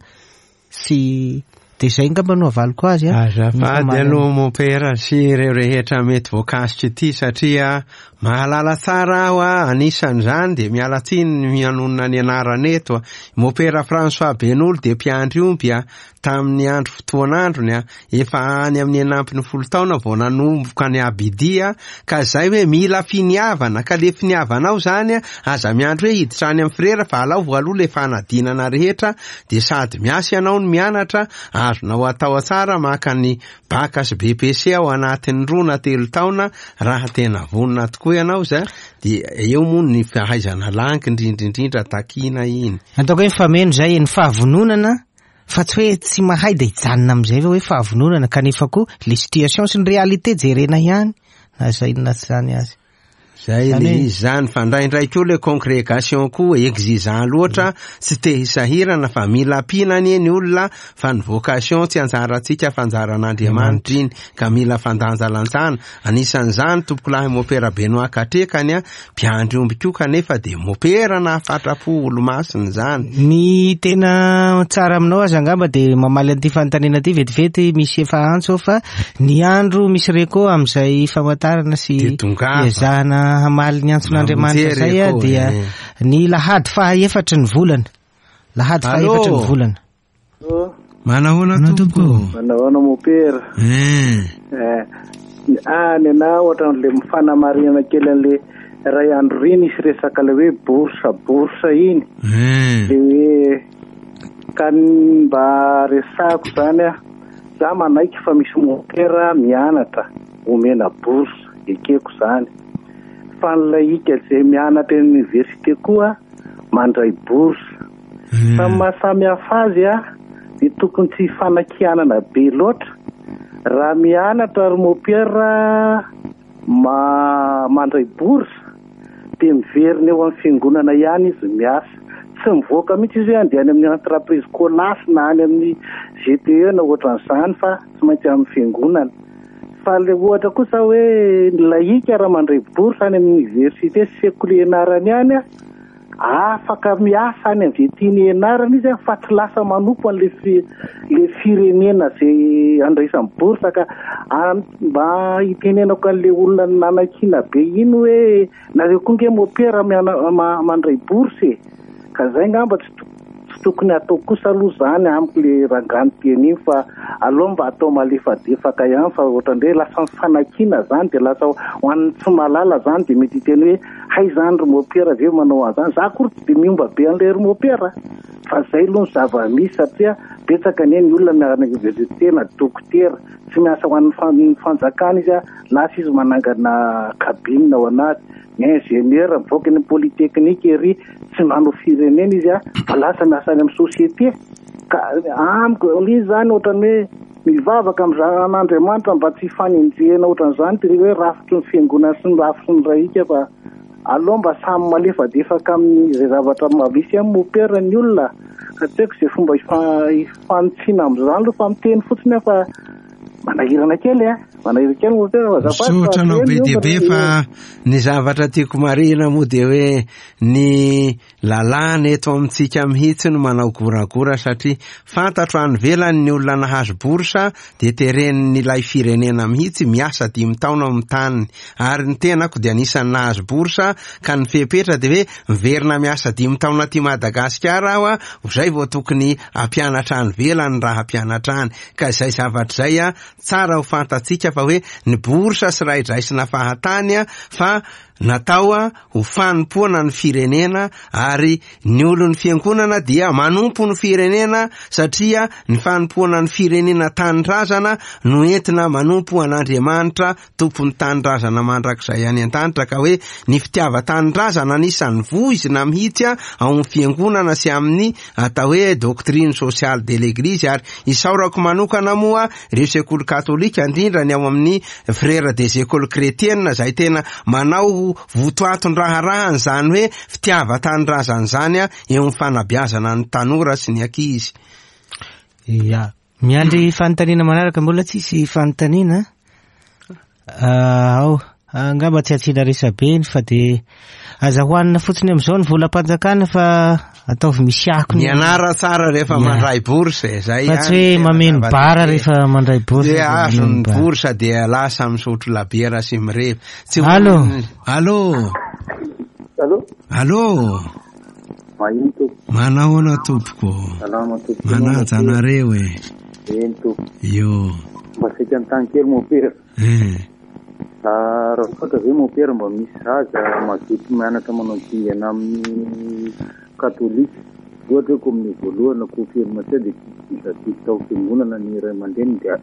sy dia izay angamba no havaliko azy, a. Azafady Ny aloha mopera sy ireo rehetra mety voakasika ity, satria mahalala tsara aho, a, anisan'izany dia miala tsiny ny mianonona ny anarana eto, a. Mopera François Benolo dia mpiandry omby, a, tamin'ny andro fotoan'androny, a, efa any amin'ny 16 taona vao nanomboka ny abidia, ka izay hoe mila finiavana, ka le finiavanao zany, a, aza miandry hoe hiditra any amin'ny frera fa alao voaloha le fanadinana rehetra, dia sady miasa ianao no mianatra, azonao atao tsara maka ny baka sy BPC ao anatin'ny 2 na 3 taona raha tena vonona tokoa ianao zay, dia eo moa ny fahaizana langy indrindra indrindra takiana iny. Ataoko hoe mifameno izay ny fahavononana, fa tsy hoe tsy mahay dia hijanona amin'izay hoe fahavononana, kanefa koa les situations sy ny réalité jerena ihany, na izay na tsy izany azy. Zay le izy zany, fa ndraindray koa le congrégation koa exigeant loatra, tsy te hisahirana fa mila ampiana anie ny olona, fa ny vocation tsy anjarantsika fa anjaran'Andriamanitra iny, ka mila fandanjalanjana. Anisan'izany tompokolahy Mopera Benoît Katrekany a, mpiandry omby koa kanefa dia mopera nahafatra-po olomasina izany. Ny tena tsara aminao aza angamba dia mamaly an'ity fanontaniana ity vetivety, misy efa antso ao fa ny andro misy reco amin'izay famantarana sy Dia tongava. ezahana hamaly ny antson'Andriamanitra Mamonjy izay a, reco, dia eh. ny lahady faha-efatry ny volana. Lahady Allô? faha-efatry ny volana. Manahoana Manao tompoko? tompoko. Manahoana mopera? Eh. Eh, any ana ohatran'le mifanamarihana kely an'le ray andro iny isy resaka le hoe bourse bourse iny. Eh. Le hoe ka ny mba resahako zany a, za manaiky fa misy mopera mianatra omena bourse, ekeko zany. Fa ny laika zay mianatra eny université koa mandray bourse. Fa ny mahasamy hafa azy a, dia tokony tsy hifanakianana be loatra. Raha mianatra ry mopera ma mandray bourse dia miverina eo amin'ny fiangonana ihany izy miasa. Tsy mivoaka mihitsy izy hoe andeha any amin'ny entreprise Colas na any amin'ny GTE na ohatran'izany fa tsy maintsy amin'ny fiangonana. Fa le ohatra kosa hoe ny laika raha mandray bourse any amin'ny université sy sekoly ianarany any a, afaka miasa any amin'izay tiany ianarana izy a, fa tsy lasa manompo an'le fi- le firenena zay andraisany bourse ka mba hitenenako an'le olona nanakiana be iny hoe nareo koa nge mopera miana- ma- mandray bourse e. Ka zay ngamba tsy to- tsy tokony atao kosa aloha zany amiko le rangano teny iny fa aloha mba atao malefadefaka ihany fa ohatran'irey lasa mifanakiana zany dia lasa ho an'ny tsy mahalala zany dia mety hiteny hoe hay zany ry mopera ve manao an'izany. Za akory tsy dia miomba be an'ilay ry mopera fa zay aloha ny zava-misy satria betsaka anie ny olona miaraka université na dokotera tsy miasa ho an'ny fan- fanjakana izy a, lasa izy manangana cabine ao anaty. Ny ingénieur mivoaka ny polytechnique ery tsy manao firenena izy a, fa lasa miasa any amin'ny société. Ka amiko ilay izy zany ohatran'ny hoe mivavaka amin'Andriamanitra mba tsy hifanenjehana ohatran'izany ty hoe rafitry ny fiangonana sy ny rafitry ny raika fa aloha mba samy malefadefaka amin'izay zavatra misy amin'ny mopera ny olona. Ka tsy haiko izay fomba hifanitsiana amin'izany aloha fa miteny fotsiny aho fa manahirana kely a. Manahirana kely mopera fa azafady fa Misaotra anao be dia be teny fa ny zavatra tiako marihina moa dia hoe ny lalàna eto amintsika mihitsy no manao goragora satria fantatro any ivelany ny olona nahazo bourse dia teren'ilay firenena mihitsy miasa 5 taona amin'ny taniny. Ary ny tenako dia anisan'ny nahazo bourse ka ny fepetra dia hoe miverina miasa 5 taona aty Madagasikara aho a, izay vao tokony hampianatra any ivelany raha hampianatra any. Ka izay zavatra izay a, tsara ho fantatsika fa hoe ny bourse sy raha idraisina fahatany a, fa natao a ho fanompoana ny firenena ary ny olon'ny fiangonana dia manompo ny firenena satria ny fanompoana ny firenena tanindrazana no entina manompo an'Andriamanitra tompon'ny tanindrazana mandrakizay any an-danitra. Ka hoe ny fitiavan-tanindrazana anisan'ny voizina mihitsy a ao amin'ny fiangonana sy amin'ny atao hoe doctrine sociale de l'église. Ary isaorako manokana moa ireo sekoly katolika indrindra ny ao amin'ny frères des écoles chrétiennes izay tena manao votoaton-draharahany izany hoe fitiavan-tanindrazana izany a eo amin'ny fanabeazana ny tanora sy ny ankizy. Ya. Miandry fanontaniana manaraka, mbola tsisy fanontaniana. Ao, angamba tsy asiana resabe iny fa dia aza hohanina fotsiny amin'izao ny volam-panjakana fa ataovy misy akony. Mianara tsara rehefa Ya. mandray bourse, zay Fa tsy ihany hoe tena mameno zava-dehibe. bara rehefa mandray bourse, Dia dia azo mameno ny bara. bourse dia lasa misotro labiera sy mirevy. Tsy ho- Allô? Allô? Allô? Allô? Mahino tompoko. Manahoana tompoko? Salama tompoko. Manaja anareo e. Eny tompoko. Io. Mba saika ny kely mopera. Eh. Raha ohatra ve mopera mba misy zaza mazoto mianatra manao dingana amin'ny katolika, ohatra hoe komin'ny voalohany na confirmation dia tsy tao fiangonana ny ray aman-dreny dia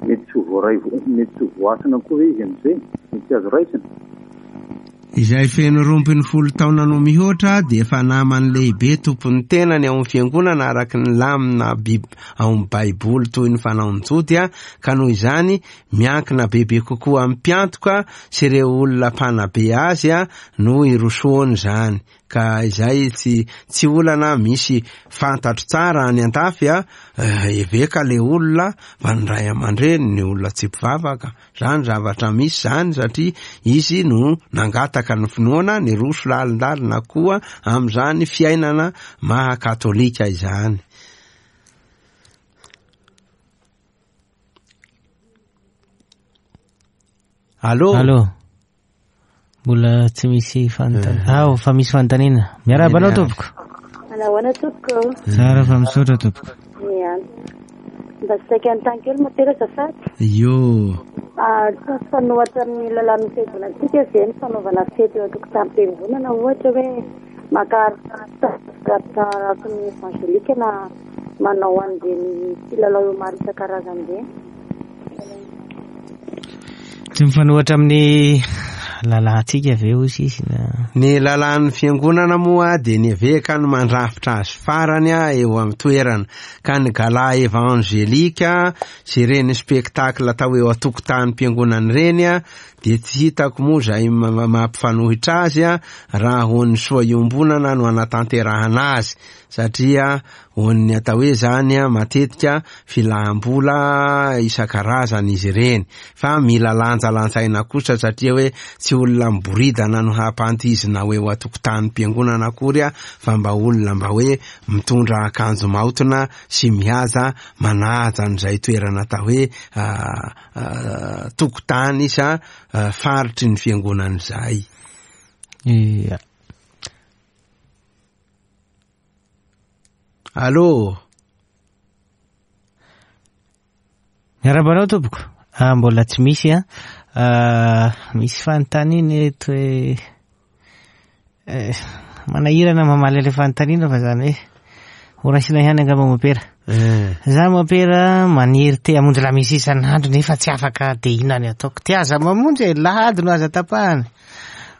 mety tsy ho voaray, mety tsy ho voasana koa ve izy amin'izay? Mety tsy azo raisina? Izay feno 12 taona no mihoatra dia efa naman'ny lehibe tompon'ny tenany ao amin'ny fiangonana araky ny lamina ao amin'ny Baiboly toy ny fanaon'ny Jody, ka noho izany miankina bebe kokoa amin'ny mpiantoka sy ireo olona mpanabe azy no irosoany izany. Ka izay tsy olana misy fantatro tsara any an-dafy, eveka le olona fa ny ray aman-dreny ny olona tsy mpivavaka. Zany zavatra misy zany satria izy no nangataka ny finoana, niroso lalindalina koa amin'izany fiainana maha katolika izany. Allô? Allô? Mbola tsy misy fanontaniana. Ah, fa misy fanontaniana. Miarahaba anao tompoko. Manahoana tompoko? Tsara fa misaotra tompoko. Miany. Mba saika anontany kely mopera azafady. Io. Tsy mifanohitra amin'ny lalàn'ny fiangonantsika ve ny fanaovana fety eo an-tokotanim-piangonana, ohatra hoe maka araka ny evangelika na manao an'ireny kilalao maro isan-karazany ireny? Tsy mifanohitra amin'ny lalàntsika ve hoy izy na? Ny lalàn'ny fiangonana moa dia ny eveka no mandrafitra azy farany eo amin'ny toerana, ka ny gala evangelika sy ireny spectacle atao eo an-tokotanim-piangonana ireny dia tsy hitako moa izay mampifanohitra azy raha ho an'ny soa iombonana no anatanterahana azy, satria ho an'ny atao hoe zany matetika filaham-bola isan-karazany izy ireny, fa mila lanjalanjaina kosa satria hoe tsy olona miboridana no hampantizina ho eo an-tokotanim-piangonana akory fa mba olona mba hoe mitondra akanjo maotina sy mihaja manaja an'izay toerana atao hoe tokotany sa faritry ny fiangonana izay. Ia. Allô? Miarahaba anao tompoko. Ah, mbola tsy misy an. Ah, misy fanontaniana eto hoe eh, manahirana mamaly ilay fanontaniana fa zany hoe ho raisina ihany angamba mopera. Za mopera maniry te hamonjy lamesa isan'andro nefa tsy afaka de inona ny ataoko. Ty aza mamonjy e, lahady no aza tapahana.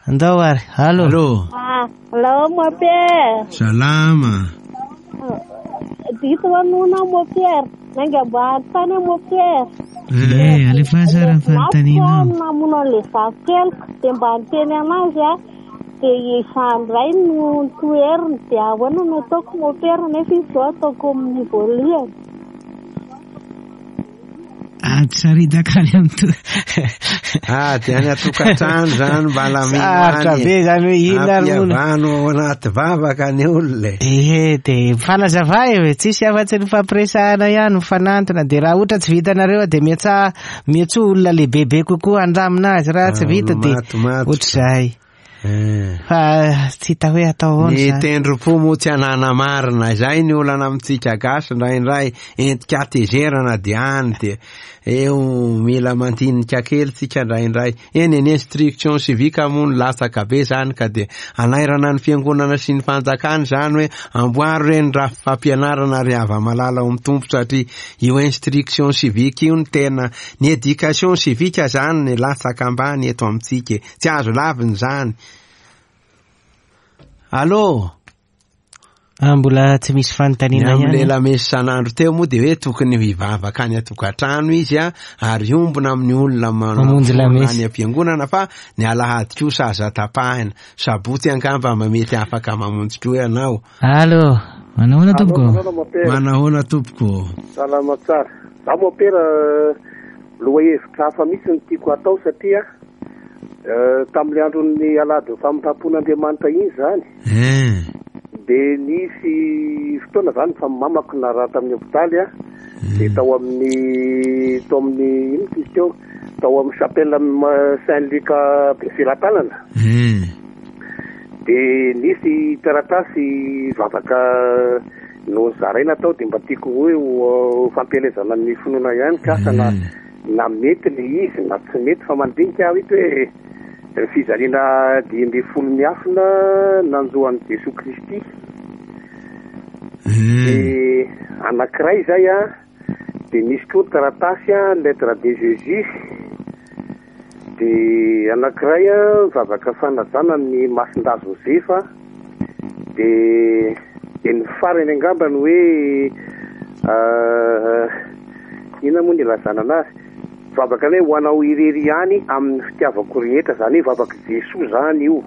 Andao ary. Allô. Allô. Ah, allô mon père. Salama. Diso anona mon père. Nainga mba anontany aho mon père. Eh, alefa tsara ny fanontanianao. Mafy aho namono an'ilay zafikeliko dia mba niteny anazy aho. Dia izany indray no notoheriny. Dia ahoana no ataoko mon père nefa izy izao ataoko amin'ny voalohany. Ady saridaka any amin'ny to. Ady any an-tokantrano zany mba lamino Sarotra any. be zany hoe inona ary moa no- Ampihavano ao anaty vavaka ny olona e. Ehe, dia mifanazava e, tsisy afa-tsy ny fampiresahana ihany, mifanantona, dia raha ohatra tsy vitanareo dia miatsa, miatsoa olona lehibebe kokoa handamina azy, raha tsy Ah, vita dia matomato. ohatr'izay. Fa tsy hita hoe atao ahoana Ny izany. tendrom-po moa tsy anana marina, izay ny olana amintsika gasy indraindray, entika hatezerana dia any dia eo mila mandinika kely tsika indraindray. Eny e, ny instruction civique moa no latsaka be izany ka dia anairana ny fiangonana sy ny fanjakana izany hoe amboaro re ny rafi-fampianarana ry hava-malala ao amin'ny Tompo satria io instruction civique io no tena, ny éducation civique izany ny latsaka ambany eto amintsika e. Tsy azo lavina izany. Allô? Ah, mbola tsy misy fanontaniana Ny ihany. amin'ny lamesa isan'andro teo moa dia hoe tokony hivavaka any an-tokantrano izy a, ary hiombona amin'ny olona Mamonjy lamesa. any am-piangonana fa ny alahady kosa aza tapahina. Sabotsy angamba mba mety afaka mamonjy koa ianao. Allô, manahoana tompoko? Manahoana mopera? Manahoana tompoko? Salama tsara. Za mopera lohahevitra hafa mihitsy no tiako hatao satria tamin'ilay andron'ny alahady famindram-pon'Andriamanitra iny izany. Dia nisy fotoana izany fa mamako narary tamin'ny hopitaly aho. Dia tao amin'ny, tao amin'ny, inona izy teo? Tao amin'ny chapelle Saint Luc Befelatanana. Dia nisy taratasy vavaka nozaraina tao dia mba tiako hoe ho fampielezana ny finoana ihany ka asa na na mety le izy na tsy mety fa mandinika aho ito hoe ny fijaliana 15 miafina nanjo an'i Jesoa Kristy. Dia anankiray izay an, dia nisy koa taratasy an, lettre de Jésus. Dia anankiray vavaka fanajana ny Masindahy Josefa. Dia dia ny farany angamba ny hoe inona moa ny ilazana anazy? Vavaka ny hoe ho anao irery ihany amin'ny fitiavako rehetra, izany hoe vavak'i Jesoa izany io.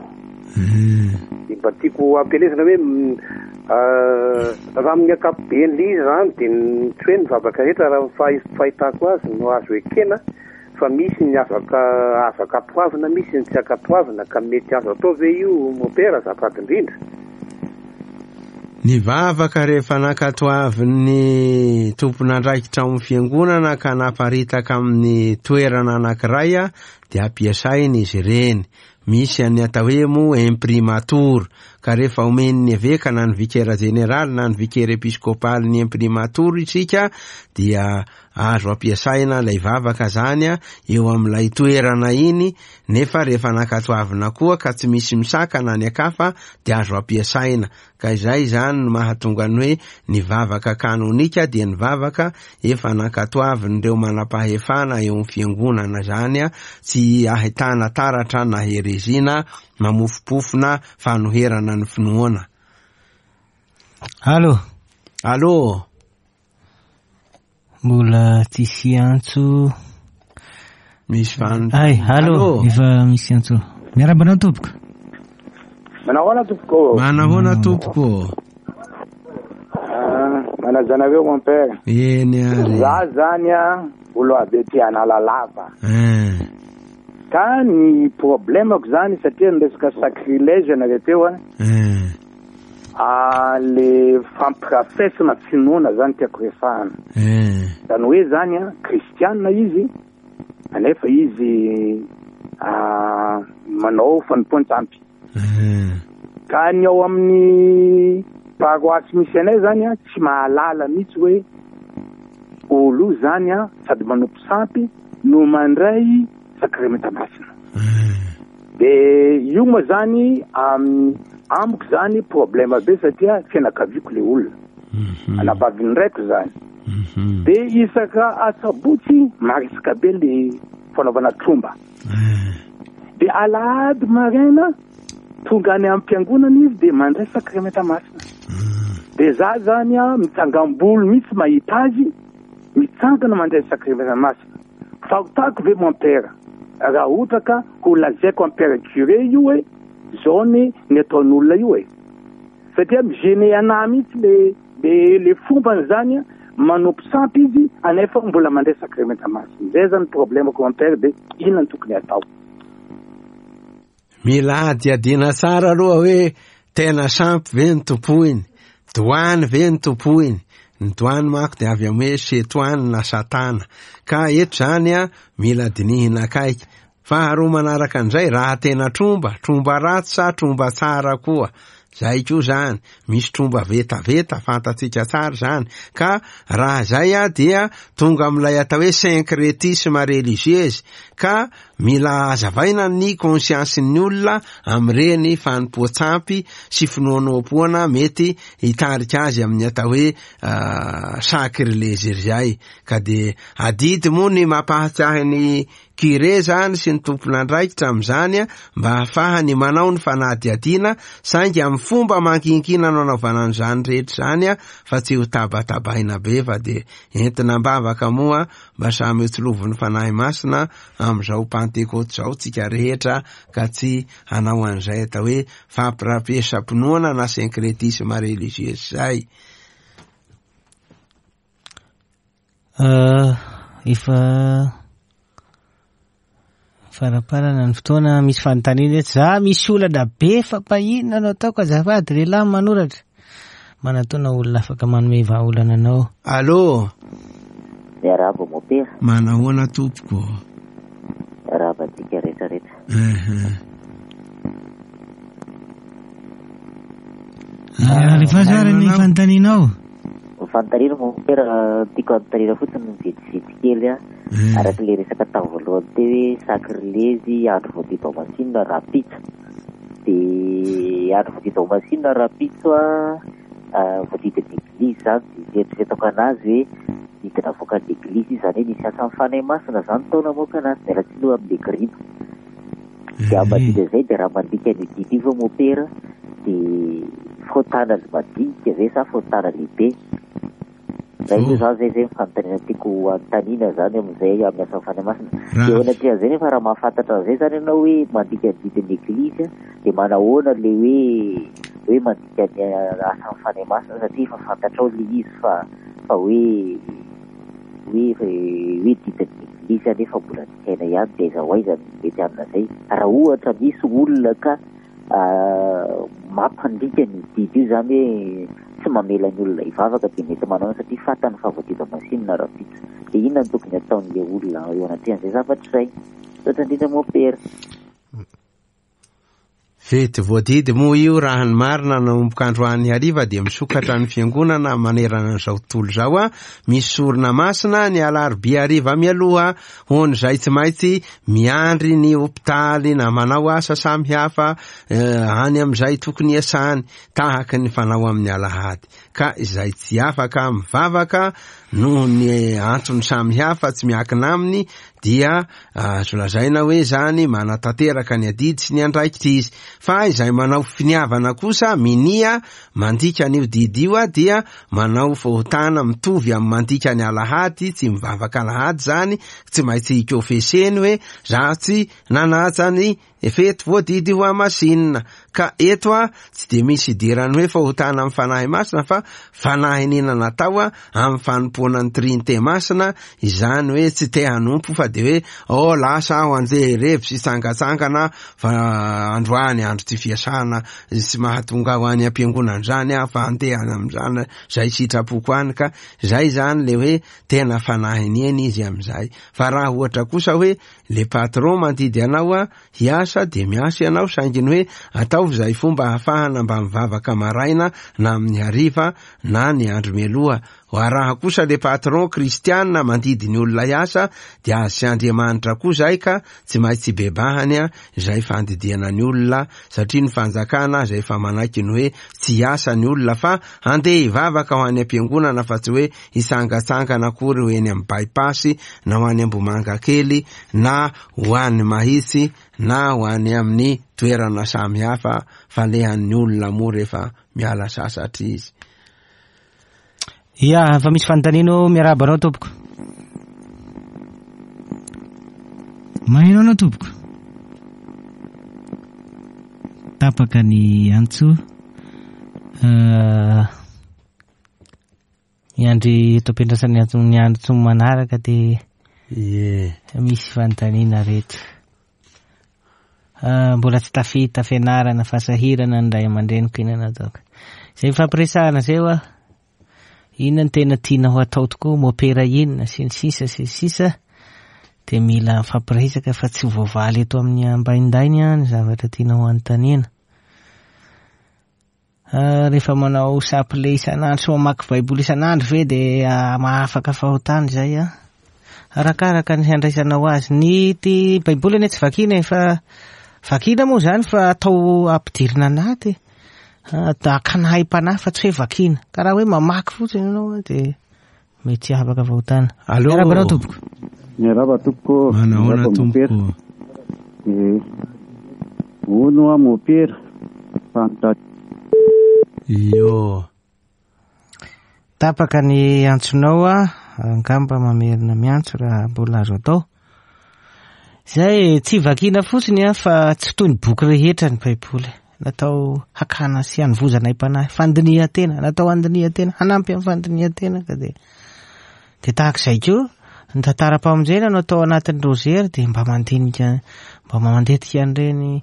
Dia mba tiako hampielezana hoe raha amin'ny ankapobeny ilay izy izany dia tsy hoe ny vavaka rehetra raha ny fahitako azy no azo ekena fa misy ny azo azo ankatoavina misy ny tsy ankatoavina ka mety azo atao ve io mopera azafady indrindra? Ny vavaka rehefa nankatoavin'ny tompon'andraikitra ao amin'ny fiangonana ka naparitaka amin'ny toerana anankiray dia ampiasaina izy ireny. Misy an'ny atao hoe moa imprimatur, ka rehefa omen'ny eveka na ny vikera jeneraly na ny vikera episkopaly ny imprimatur isika dia azo ampiasaina ilay vavaka zany eo amin'ilay toerana iny, nefa rehefa nankatoavina koa ka tsy misy misakana any an-kafa dia azo ampiasaina. Ka izay izany no mahatonga ny hoe ny vavaka kanonika dia ny vavaka efa nankatoavin'ireo manam-pahefana eo amin'ny fiangonana izany, tsy ahitana taratra na hereziana mamofompofona fanoherana ny finoana. Allo. Allo. Mbola tsisy antso. Misy van. Ay, allo, efa misy antso. Miarahaba anao tompoko. Manahoana tompoko? Manahoana tompoko? Ah, manaja anareo mon père. Eny ary. Za zany a olo avy aty Analalava. Eh. Ka ny problemako zany satria niresaka sacrilège ianareo teo a. Eh. Ah, le fampirafesana finoana zany tiako resahana. Eh. Zany hoe zany a, kristianina izy, anefa izy ah, manao fanompoan-tsampy. Eh. Ka ny ao amin'ny paroasy misy anay zany a, tsy mahalala mihitsy hoe olo io zany a, sady manompo sampy no mandray sakramenta masina. De io moa zany amiko zany problème be satria fianakaviako le olona. Anabavin'ny raiko zany. De isaka asabotsy marisika be le fanaovana tromba. De alahady maraina tonga any am-piangonana izy de mandray sakramenta masina. De za zany a mitsangam-bolo mihitsy mahita azy mitsangana mandray sakramenta masina. Fahotako ve mon père raha ohatra ka ho lazaiko am père curé io hoe zao anie ny ataon'olona io e! Satria mi gêner anah mihitsy le le le fombany zany a, manompo sampy izy anefa mbola mandray sakramenta masina. Zay zany problème-ko mon père de inona no tokony atao? Mila hadihadiana tsara aloha hoe tena sampy ve ny tompoiny, doany ve ny tompoiny, ny doany manko dia avy amin'ny hoe setoany na satana, ka eto izany a mila dinihina akaiky. Faharoa manaraka an'izay, raha tena tromba, tromba ratsy sa tromba tsara koa, zay koa zany, misy tromba vetaveta, fantatsika tsara izany, ka raha izay a dia tonga amin'ilay atao hoe syncrétisme religieuse, ka Mila hazavaina ny conscience-n'ny olona amin'ireny fanompoan-tsampy sy finoanoam-poana mety hitarika azy amin'ny atao hoe sacrilège izay. Ka dia adidy moa ny mampahatsiahy ny curé izany sy ny tompon'andraikitra amin'izany mba hahafahany manao ny fanadihadiana saingy amin'ny fomba manginkina no anaovana an'izany rehetra izany fa tsy ho tabatabaina be fa dia entina am-bavaka moa mba samy ho tsilovin'ny Fanahy Masina amin'izao Pantekoty izao tsika rehetra ka tsy hanao an'izay atao hoe fampirafesam-pinoana na syncrétisme religieux izay. Euh, efa faraparana ny fotoana misy fanontaniana eto. Za misy olana be fa mba inona no ataoko azafady lehilahy manoratra. Manatona olona afaka manome vahaolana anao. Allô. Miarahaba mopera. Manahoana tompoko. Miarahaba antsika rehetra rehetra. Ah, Alefaso ary ny fanontanianao. Ny fanontaniana mopera tiako anontaniana fotsiny ny vetivety kely a. Araka ilay resaka tamin'ny voalohany teo hoe sakrilezy andro voadidy ao Masinina rahampitso. Dia andro voadidy ao Masinina rahampitso a, voadidy ny eglizy izany dia fieritreretako anazy hoe didy navoakan'ny eglizy izy izany hoe nisy asan'ny Fanahy Masina izany tao namoaka anazy. Miala tsiny aloha amin'ilay grima. Dia ambadika izay dia raha mandika an'io didy io ve mopera dia fahotana madinika ve sa fahotana lehibe? Zay aloha zany zay zay ny fanontaniana tiako anontaniana zany amin'izay amin'ny asan'ny Fanahy Masina. Dia eo anatrehan'izay nefa raha mahafantatra an'izay zany ianao hoe mandika ny didin'ny Eglizy dia manahoana le hoe hoe mandika ny asan'ny Fanahy Masina satria efa fantatrao le izy fa fa hoe hoe hoe didin'ny Eglizy anefa mbola dikaina ihany dia aiza ho aiza no mety amin'izay. Raha ohatra misy olona ka mampandika ny didy io izany hoe tsy mamela ny olona hivavaka dia mety manao satria fantany fa voadidy masinina rahampitso. Dia inona no tokony ataon'ilay olona eo anatrehan'izay zavatra izay? Misaotra indrindra mompera. Fety voadidy moa io raha ny marina nanomboka androany hariva dia misokatra ny fiangonana manerana an'izao tontolo izao a misy sorona masina ny alarobia hariva mialoha ho an'izay tsy maintsy miandry ny hopitaly na manao asa samihafa any amin'izay tokony hiasany tahaka ny fanao amin'ny alahady ka izay tsy afaka mivavaka noho ny antony samihafa tsy miankina aminy dia azo lazaina hoe zany manatanteraka ny adidy sy ny andraikitra izy fa izay manao finiavana kosa minia mandika an'io didy io dia manao fahotana mitovy amin'ny mandika ny alahady tsy mivavaka alahady zany tsy maintsy hikofeseny hoe za tsy nanaja ny fety voadidy ho hamasinina ka eto a tsy dia misy idirany hoe fahotana amin'ny Fanahy Masina fa fanahiniana natao a amin'ny fanompoana ny Trinite Masina izany hoe tsy te hanompo fa dia hoe oh lasa aho andeha hirevy sy hitsangatsangana fa androany andro tsy fiasana tsy mahatonga aho any am-piangonana izany aho fa andeha any amin'izany izay sitrapoko any ka izay izany le hoe tena fanahiniana izy amin'izay fa raha ohatra kosa hoe le patron mandidy anao a hiasa dia miasa ianao saingy ny hoe ataovy izay fomba ahafahana mba mivavaka maraina na amin'ny hariva na ny andro mialoha. Hoa raha kosa le patron kristiana mandidy ny olona hiasa dia azy sy Andriamanitra koa izay ka tsy maintsy hibebahany izay fandidiana ny olona satria ny fanjakana aza efa manaiky ny hoe tsy hiasa ny olona fa handeha hivavaka ho any am-piangonana fa tsy hoe hitsangatsangana akory ho eny amin'ny by-pass na ho any Ambohimangakely na ho any Mahitsy na ho any amin'ny toerana samihafa falehan'ny olona moa rehefa miala sasatra izy. Ya, fa misy fanontaniana ô, miarahaba anao tompoko. Maheno anao tompoko. Tapaka ny antso. Uh, Miandry eto am-piandrasana ny antso ny antso manaraka dia Ie. misy fanontaniana reto. Ah, mbola tsy tafita fianarana fa sahirana ny ray aman-dreniko inona nataoko. Izay fampiresahana izay hoa. Inona no tena tiana ho atao tokoa, mopera inona sy ny sisa sy ny sisa. Dia mila mifampiresaka fa tsy voavaly eto amin'ny ambaindainy ny zavatra tiana ho anontaniana. Rehefa manao chapelet isan'andro sy mamaky baiboly isan'andro ve dia mahafaka fahotana izay an? Arakaraka ny handraisanao azy. Ny ty baiboly anie tsy vakiana e fa vakiana moa izany fa atao ampidirina anaty. Akana haim-panahy fa tsy hoe vakiana. Ka raha hoe mamaky fotsiny ianao dia mety tsy hahafaka fahotana. Allo. Miarahaba anao tompoko. Miarahaba tompoko. Manahoana tompoko. Eh, hono aho mopera. Fanta. Io. Tapaka ny antsonao a, angamba mamerina miantso raha mbola azo atao. Zay tsy vakiana fotsiny a fa tsy toy ny boky rehetra ny Baiboly. Natao hakana sy hanovozana aim-panahy, fandinihan-tena, natao handinihan-tena, hanampy amin'ny fandinihan-tena ka dia dia tahaka izay koa ny tantaram-pamonjena no atao anatin'ny rozery dia mba mandinika, mba mandetika an'ireny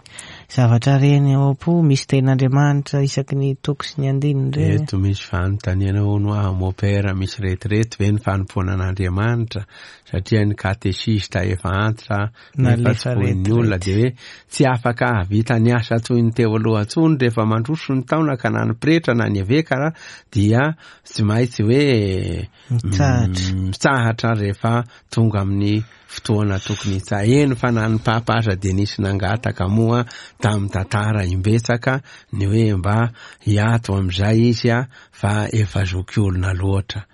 zavatra ireny ao am-po, misy tenin'Andriamanitra isaky ny toko sy ny andininy ireny. Eto misy fanontaniana hono aho mopera, misy retirety ve ny fanompoana an'Andriamanitra? Satria ny katesista efa antitra nefa tsy foin'ny olona dia hoe tsy afaka hahavita ny asa toy ny teo aloha intsony rehefa mandroso ny taona ka na ny pretra na ny eveka dia tsy maintsy hoe mitsahatra rehefa tonga amin'ny fotoana tokony hitsa. Eny fa na ny papa aza dia nisy nangataka moa tamin'ny tantara imbetsaka ny hoe mba hiato amin'izay izy fa efa zokiolona loatra.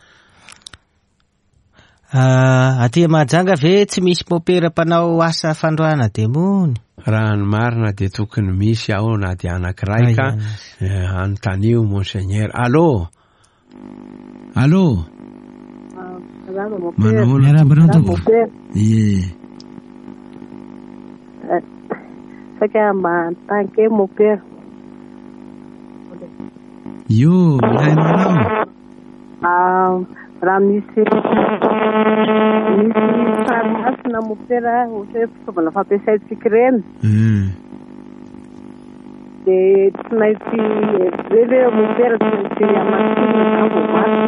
Ah, aty Mahajanga ve tsy misy mopera mpanao asa fandroahana demony? Raha ny marina dia tokony misy ao na dia anankiray ka anontanio Monseigneur. Allô? Allô? Manahoana? Miarahaba anao tompoko. Ie. Saika mba hanontany kely mopera. Io, mihaino anao. Raha misy misy sary masina mopera ohatra hoe fitaovana fampiasaintsika ireny. Dia tsy maintsy ve ve mopera tsy maintsy hamasinina izany vao masina.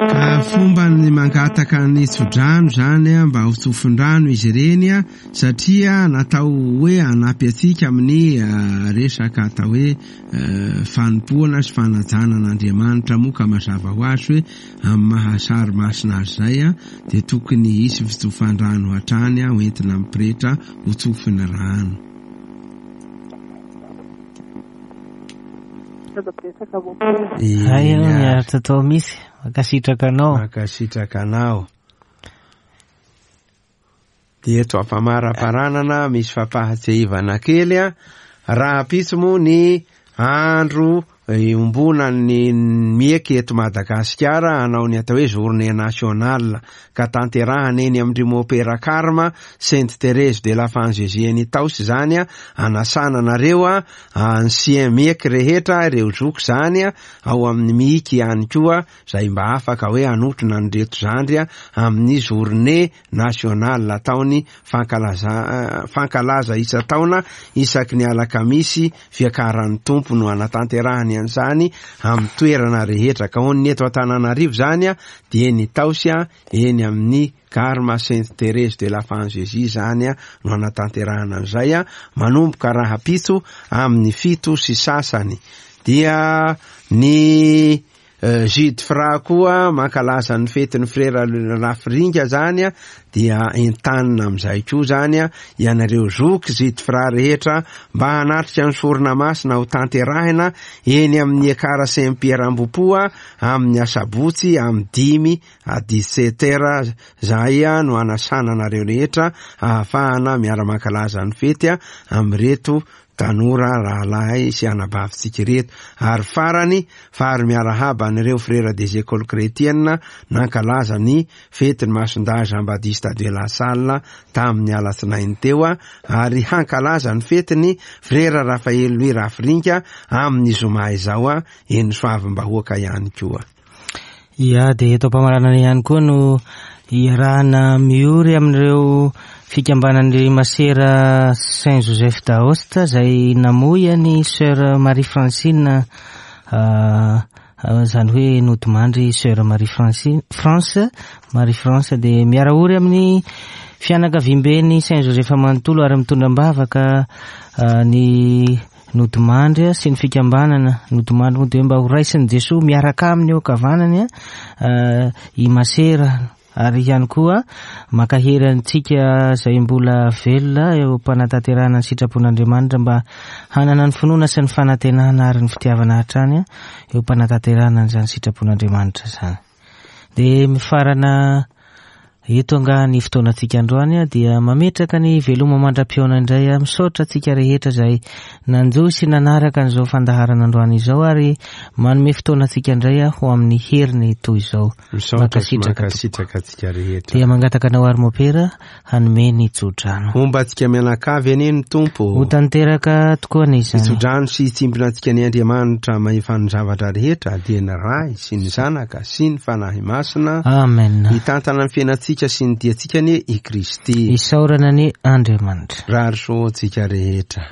Ka fomba ny mangataka ny tsodrano izany mba ho tsofin-drano izy ireny satria natao hoe hanampy antsika amin'ny resaka atao hoe fanompoana sy fanajana an'Andriamanitra moa ka mazava ho azy hoe amin'ny maha sary masina azy izay dia tokony hisy fitsofan-drano hatrany ho entina amin'ny pretra ho tsofiny rano. Hay ianao niaritra tao misy. Mankasitraka anao. Mankasitraka anao. Dia eto am-pamaraparanana misy fampahatsiahivana kely a, rahampitso moa ny andro iombonan'ny mieky eto Madagasikara hanao ny atao hoe journée nationale ka tanterahana eny amin-dry Mopera Carme Sainte Thérèse de l'Enfant Jésus eny Itaosy izany a, anasana anareo a, ancien mieky rehetra, ireo zoky izany a, ao amin'ny miiky ihany koa izay mba afaka hoe hanotrona an'ireto zandry amin'ny journée nationale ataony fankalaza fankalaza isan-taona isaky ny alakamisy fiakaran'ny Tompo no hanatanterahany an'izany amin'ny toerana rehetra ka ho ny eto Antananarivo izany dia eny Itaosy eny amin'ny Carme Sainte Thérèse de l'Enfant Jésus izany no hanatanterahana an'izay manomboka rahampitso amin'ny 7:30 dia ny Jude Fra koa mankalaza ny fetin'ny frera Rafiringa zany dia entanina amin'izay koa zany ianareo zoky Jude Fra rehetra mba hanatrika ny sorona masina ho tanterahina eny amin'ny Ekara Saint Pierre Ambohipo amin'ny asabotsy amin'ny 5 à 17 heures zahay no hanasana anareo rehetra ahafahana miara-mankalaza ny fety amin'ireto tanora rahalahy sy anabavintsika ireto. Ary farany, fary miarahaba an'ireo frera des écoles chrétiennes nankalaza ny fetin'ny Masindahy Jean Baptiste de la Salle tamin'ny alatsinainy teo ary hankalaza ny fetin'ny frera Raphaël Louis Rafiringa amin'ny zoma izao eny Soavimbahoaka ihany koa. Ya, dia eto am-pamaranana ihany koa no iarahana miory amin'ireo fikambanan'ny masera Saint Joseph d'Aoste izay namoy an'i Sœur Marie Francine, izany hoe nodimandry Sœur Marie Francine, France, Marie France dia miara-ory amin'ny fianakaviamben'ny Saint Joseph manontolo ary mitondra am-bavaka ny nodimandry sy ny fikambanana nodimandry moa dia hoe mba ho raisin'i Jesoa miaraka aminy eo ankavanany i Masera ary ihany koa mankahery antsika izay mbola velona eo am-panatanterahana ny sitrapon'Andriamanitra mba hanana ny finoana sy ny fanantenana ary ny fitiavana hatrany eo am-panatanterahana an'izany sitrapon'Andriamanitra izany. Dia mifarana eto angaha ny fotoanantsika androany dia mametraka ny veloma mandra-pihaona indray aho. Misaotra antsika rehetra izay nanjohy sy nanaraka an'izao fandaharana androany izao ary manome fotoana antsika indray aho ho amin'ny heriny toy izao. Misaotra sy mankasitraka antsika rehetra. Dia mangataka anao ary Mopera hanome ny tsodrano. Homba antsika mianakavy anie ny Tompo. Ho tanteraka tokoa anie izany. Hitsodrano sy hitsimbina antsika ny Andriamanitra mahefa ny zavatra rehetra, dia ny Ray sy ny Zanaka sy ny Fanahy Masina. Amen. Hitantana ny fiainantsika sy ny diantsika anie i Kristy. Isaorana anie Andriamanitra. Rary soa antsika rehetra.